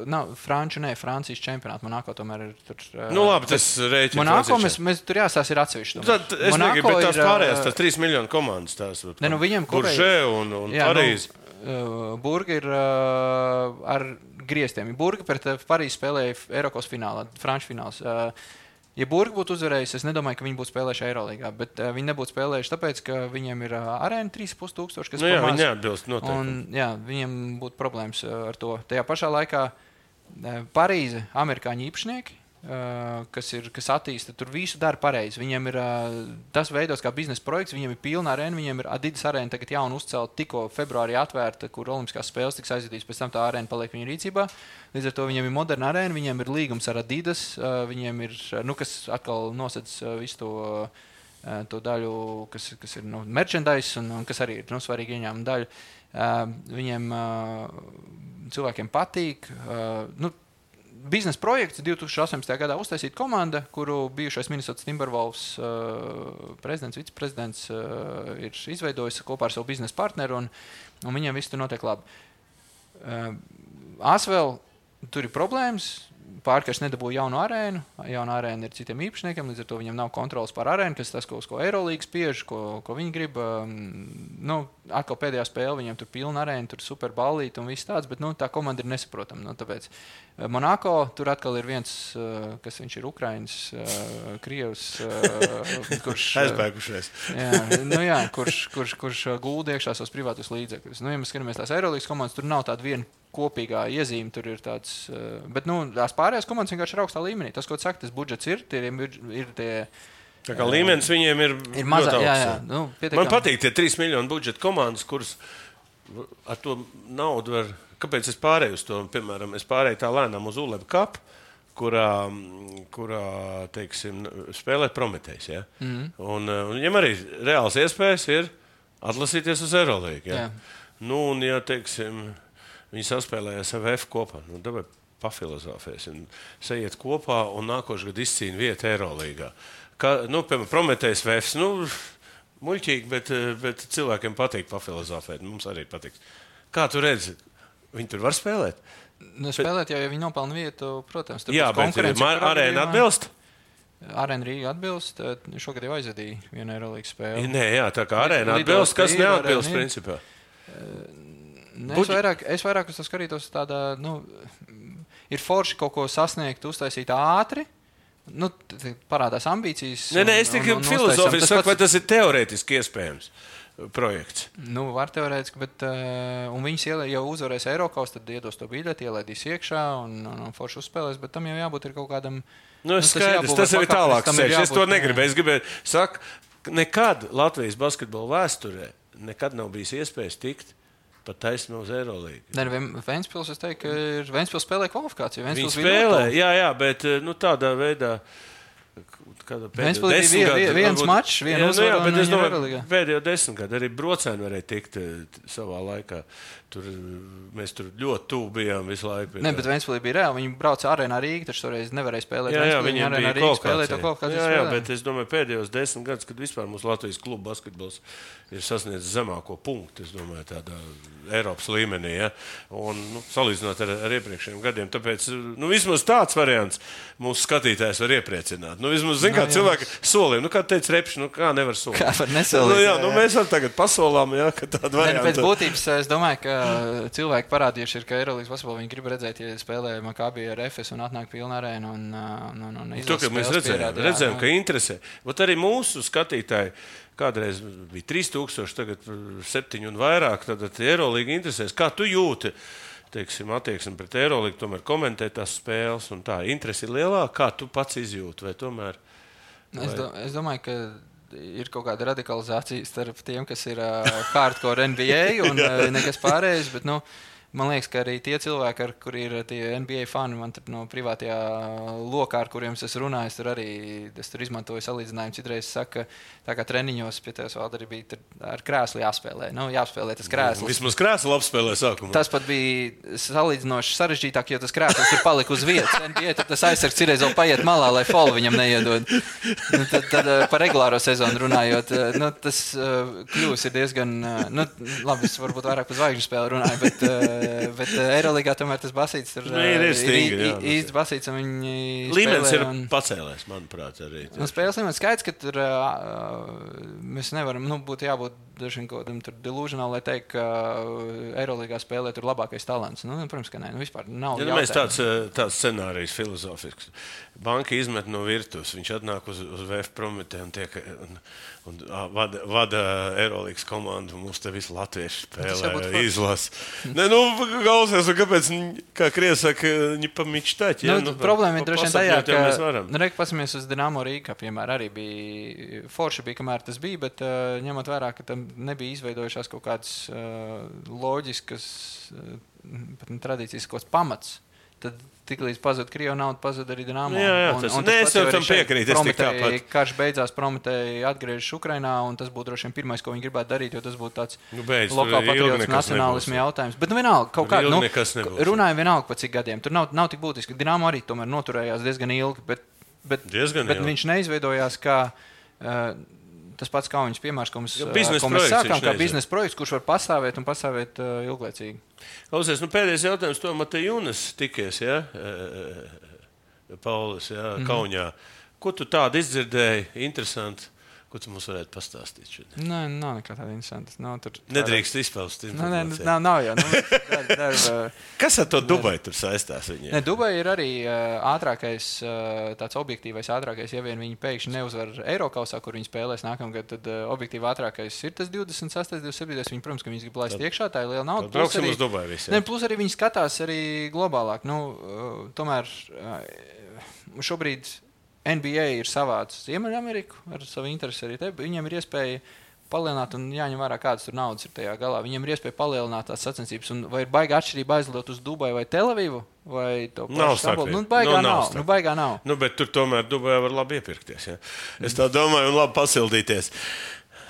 nav, Franču, ne, Francijas čempionāti. Monako tomēr ir tur. Nu labi, tas rēķina. Monako mēs, mēs tur jāsās ir atsevišķi. Tad es negribu, bet tās pārējās, tās trīs miljonu komandas, tās. Ne, nu viņiem kopēji. Buržē un, un jā, Parīzi. Nu, Burga ir uh, ar grieztiem. Burga pret Parīzi spēlēja Eiropas finālā, Franču fināls. Ja Burga būtu uzvarējusi, es nedomāju, ka viņi būtu spēlējuši Eirolīgā, bet uh, viņi nebūtu spēlējuši tāpēc, ka viņiem ir uh, arēna trīs ar pus tūkstoši, kas nu, jā, pamās, viņi neatbilst noteikti. Un, jā, viņiem būtu problēmas uh, ar to. Tajā pašā laikā uh, Parīze, amerikāņu īpašnieki, uh, kas, ir, kas attīsta, tur visu dara pareizi. Viņiem ir uh, tas veidos kā biznesa projekts, viņiem ir pilna arēna, viņiem ir Adidas arēna tagad jauna uzcelta, tikko februārī atvērta, kur olimpiskās spēles tiks aizvadītas, pēc tam tā arēna paliek viņu rīcībā. Līdz ar to viņiem ir moderna arēna, viņiem ir līgums ar Adidas, viņiem ir, nu, kas atkal nosedz visu to, to daļu, kas, kas ir nu, merchandise un, un kas arī ir nu, svarīgi ieņēmuma daļa. Viņiem cilvēkiem patīk. Nu, biznesa projekts divi tūkstoši astoņpadsmitajā gadā uztaisīta komanda, kuru bijušais Minnesota Timberwolves prezidents, viceprezidents ir izveidojis kopā ar savu biznesa partneru, un, un viņiem viss tur notiek labi. Asvēl tur ir problēmas, pārkārš nedabūja jaunu arēnu, jauna arēna ir citiem īpašniekiem, līdz ar to viņam nav kontrolas pār arēnu, kas tas, ko, ko Eirolīga spiež, ko, ko viņi grib. Nu, atkal pēdējā spēle, viņiem tur pilna arēna, tur super ballīti un viss tāds, bet nu, tā komanda ir nesaprotama. Nu, tāpēc Monako, tur atkal ir viens, kas viņš ir Ukrainas, Krievs, kurš... Aizbēgušies. jā, nu jā, kurš, kurš, kurš gulda iekšā savus privātus līdzekļus. Nu, ja mēs skatāmies tās Eirolīgas komandas, tur nav tāda viena kopīgā iezīme, tur ir tāds, bet, nu, tās pārējās komandas vienkārši ir augstā līmenī. Tas, ko tu saki, tas budžets ir, tie ir tie... Tā kā līmenis viņiem ir, ir mazā, ļoti jā, augsts. jā. Nu, pietiekam. Man patīk tie trīs miljonu budžeta komandas, kuras ar to naudu var... Kāpēc es pārēju uz to? Piemēram, es pārēju tā lēnām uz U L E B Cup, kurā, kurā teiksim, spēlē Prometejs. Ja? Mm-hmm. Un, un viņam arī reāls iespējas ir atlasīties uz Eirolīgu. Ja? Nu, un, ja, teiksim, viņi saspēlējas ar V F kopā, nu, dabei pafilozofēs un sajiet kopā un nākošu gadu izcīna vietu Eirolīgā. Kā, nu, piemēram, Prometejs V F, nu, muļķīgi, bet, bet cilvēkiem patīk pafilozofēt. Mums arī patīk. Kā tu redzi? Viņi tur var spēlēt? Nu, spēlēt jau, ja viņi nopelna vietu, protams. Jā, bet arēna atbilst? Arēna Rīga atbilst. Šogad jau aizvedīja vienu Eirolīgas spēli. Nē, jā, tā kā arēna atbilst, kas neatbilst principā. Ne, es, vairāk, es vairāk uz to skatītos tādā, nu, ir forši kaut ko sasniegt, uztaisīt ātri. Nu, parādās ambīcijas. Nē, nē, es tikai filozofiju saku, vai tas ir teorētiski iespējams projekts. Nu, var teorētiski, bet uh, un viņas jau uzvarēs Eirokaus, tad iedos to biļeti, ielaidīs iekšā un, un, un forši uzspēlēs, bet tam jau jābūt ir kaut kādam... Nu, es nu, skaidrs, tas jau ir tālāk ceļš. Es to negribēju. Es gribēju, saku, nekad Latvijas basketbola vēsturē nekad nav bijis iespējas tikt pat taisno uz Eirolīgu. Nē, Ventspils, es teiktu, ka ir Ventspils spēlē kvalifikāciju. Viņi spēlē, jā, jā, bet nu, tādā veidā... Ventspils bija vi, viens mačs, viena jā, uzvara nu, jā, bet un es domāju, Eirolīgā. Pēdējo desmit gadu arī Brocēni varēja tikt savā laikā. Tur, mēs tur ļoti tuvu bijām visu laiku. Ne, bet Ventspilī bija reāli. Viņi brauca arēnā Rīga, taču toreiz nevarēja spēlēt. Jā, jā, viņiem bija kvalifikācija. Jā, jā, bet es domāju, pēdējos desmit gadus, kad vispār mūsu Latvijas klubu basketbols ir sasniedzis zemāko punktu, es domāju, tādā Eiropas līmenī, ja? Un, nu, salīdzinot ar, ar iepriekšējiem gadiem. Tāpēc, nu, vismaz tāds variants mūsu skatītājs var iepriecināt. Nu, vismaz, zin, kā cilvēki solīja, nu, kā teica Repši, nu, kā nevar solīt. Kā var nesolīt? Nu, jā, nu, mēs arī tagad pasolām, jā, ka tāda varianta. Pēc būtības, es domāju, ka cilvēki parādījuši ir, ka Eirolīgas basketbolu viņi grib redzēt, ja spēlē Makabī ar Efes un atnāk pilna arēna un, un, un, un to, ka mēs redzējām, redzējām, ka interesē. Vat arī mūsu skatītāji kādreiz bija trīs tūkstoši, tagad septiņi un vairāk, tad Eirolīga interesēs. Kā tu jūti, teiksim, attieksmi pret Eirolīgu, tomēr komentē tās spēles un tā interesi ir lielāka, kā tu pats izjūti, vai tomēr? Vai... Es, do, es domāju, ka ir kaut kāda radikalizācija starp tiem, kas ir uh, hardcore N B A un uh, nekas pārējais, bet, nu, man liekas, ka arī tie cilvēki, ar kuri ir tie N B A fani, man tur no privātajā lokā, ar kuriem es runāju, tur arī es tur izmantoju salīdzinājumu. Citreiz saka, tā kā treniņos pie tevis vēl arī bija ar krēslu jāspēlē. Nu, jāspēlē tas krēsls. Vismaz krēslu apspēlē sākumā. Tas pat bija salīdzinoši sarežģītāk, jo tas krēsls ir palika uz vietas. N B A tad tas aizsargs citreiz vēl paiet malā, lai folu viņam neiedod. Nu, tad, tad par regulāro sezonu runājot, nu, tas uh, kļūs ir diezgan, uh, nu, labi, es varbūt vairāk par zvaigžņu spēli runāju, bet uh, bet bet Eirolīgā tomēr tas basīts tur nu, ir, ir, stingri, ir īsts basīts, un viņi līmenis ir un... pacēlēs, manuprāt, arī. Un spēles līmenis skaidrs, ka tur uh, mēs nevaram, nu, būtu jābūt dažiem kodam tur delusionāli, lai teikt, ka Eirolīgā spēlē tur labākais talants. Nu, protams, ka nē, nu, vispār nav ja, mēs tāds, tāds scenārijs filozofisks. Banka izmet no virtuves, viņš atnāk uz, uz V F Prometē un tiek... Un, un vada, vada Eirolīgas komandu, mums te visi latvieši spēlē, izlas. Ne, nu, galvasies, un kāpēc, kā Krievi saka, viņi pa mičtaķi, ja? Nu, nu, problēma ir droši vien tajā, ka, nu, reik, pasimies uz Dinamo Rīgā, piemēram, arī bija, forši bija, kamēr tas bija, bet uh, ņemot vērā, ka tam nebija izveidojušās kaut kādas uh, loģiskas, uh, pat ne tradīcijas, kaut kāds pamats. Tad tiklīdz pazud Krievu naudu, pazud arī Dinamo. Jā, jā, tas, un, un tas ne, es jau tam piekrītu. Prometēji, karš beidzās, Prometēji atgriežas Ukrainā, un tas būtu droši vien pirmais, ko viņi gribētu darīt, jo tas būtu tāds nu, beidz, lokāla patriotisma nacionālisma jautājums. Bet nu vienalga, kaut kā, nu, runājam vienalga pa cik gadiem. Tur nav, nav tik būtiski. Dinamo arī tomēr noturējās diezgan ilgi, bet, bet, diezgan bet ilgi. Viņš neizveidojās kā... Uh, Tas pats kauņas piemērs, ko mēs, ko mēs sākām, kā biznesa projekts, kurš var pastāvēt un pastāvēt uh, ilglaicīgi. Klausies, nu pēdējais jautājums, to Matejūnas tikies, ja? Paulis, ja? Mm-hmm. Kaunijā. Ko tu tādu izdzirdēji? Interesanti. Ko tu mums varētu pastāstīt šodien? Nē, nav nekā tāda interesanta. Nav tur... Nedrīkst izpaust Nē, informāciju. nav, nav jau. Nu, dar, dar, Kas ar to Dubai tur saistās viņiem? Ne, Dubai ir arī uh, ātrākais, uh, tāds objektīvais ātrākais, ja vien viņi pēkšņi neuzvar Eirokausā, kur viņi spēlēs nākamgad, tad uh, objektīvi ātrākais ir tas divdesmit sastais, divdesmit septītais. Viņi, protams, ka viņi grib laist iekšā, tā ir liela nauda. Plus arī, uz Dubai visiem. Ne, plus arī viņi skatās arī globālāk. Nu, uh, tomēr uh, šobrīd N B A ir savāds Ziemeļameriku ar savu interesi arī te. Viņiem ir iespēja palielināt un jāņem vērā, kādas tur naudas ir tajā galā. Viņiem ir iespēja palielināt tās sacensības. Un vai ir baigā atšķirība aizlidot uz Dubai vai Telavivu? Vai to nav Stambulu? Nu, baigā nu, nav. nav Nu, baigā nav. Nu, bet tur tomēr Dubai var labi iepirkties. Ja? Es tā domāju un labi pasildīties.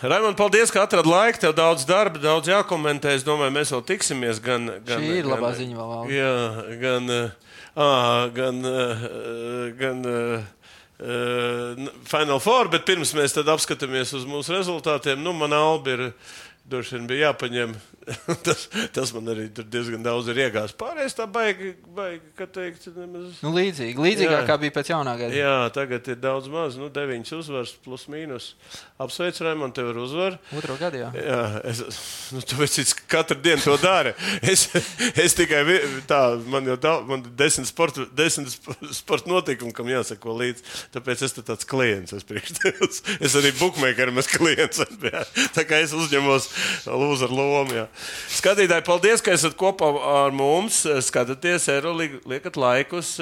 Raimond, paldies, ka atradi laiku. Tev daudz darba, daudz jākomentē. Es domāju, mēs vēl tiksimies. Gan, gan, Šī ir gan, labā ziņa vēl. Jā, gan, ā, gan, gan, gan Uh, Final Four, bet pirms mēs tad apskatāmies uz mūsu rezultātiem, nu, man Albi ir, droši vien bija jāpaņem, tas, tas man arī tur diezgan daudz ir iegās. Pārējais tā baigi, baigi, kā teikt, nemaz... Nu, līdzīgi, līdzīgāk kā bija pēc jaunā gada. Jā, tagad ir daudz maz, nu, deviņas uzvars plus mīnus. Apsveic, Raimond, tev ir uzvar. Otro gadu, jā. Jā, es, nu, tu esi katru dienu to dari. Es, es tikai tā, man jau daudz, man desmit sporta, desmit sporta notikumi, kam jāsako līdz. Tāpēc es tāds klients, es priekš tevis. Es arī bookmakerim esmu klients. Jā. Tā kā es uzņemos lūzaru lomu, jā. Skatītāji, paldies, ka esat kopā ar mums. Skatāties, Eirolīgu, liekat laikus,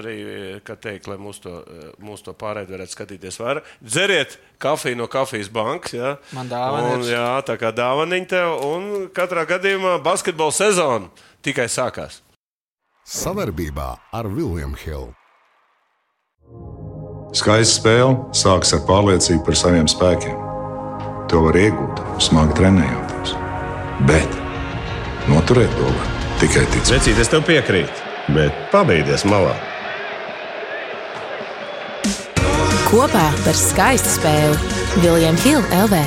arī, kā teikt, lai mūs to, mūs to pārēd varētu skatīties vairāk. Dzeriet kafiju no Kafijas bankas, jā. Man dāvana ir. Jā, tā kā dāvaniņ tev. Un katrā gadījumā basketbola sezona tikai sākās. Savarbībā ar William Hill. Skaista spēle sākas ar pārliecību par saviem spēkiem. To var iegūt, smagi trenējoties. Bet noturēt to var tikai ticēt. Vecīt, es tev piekrītu, bet pabeigties malā. Kopā par skaistu spēli William Hill L V.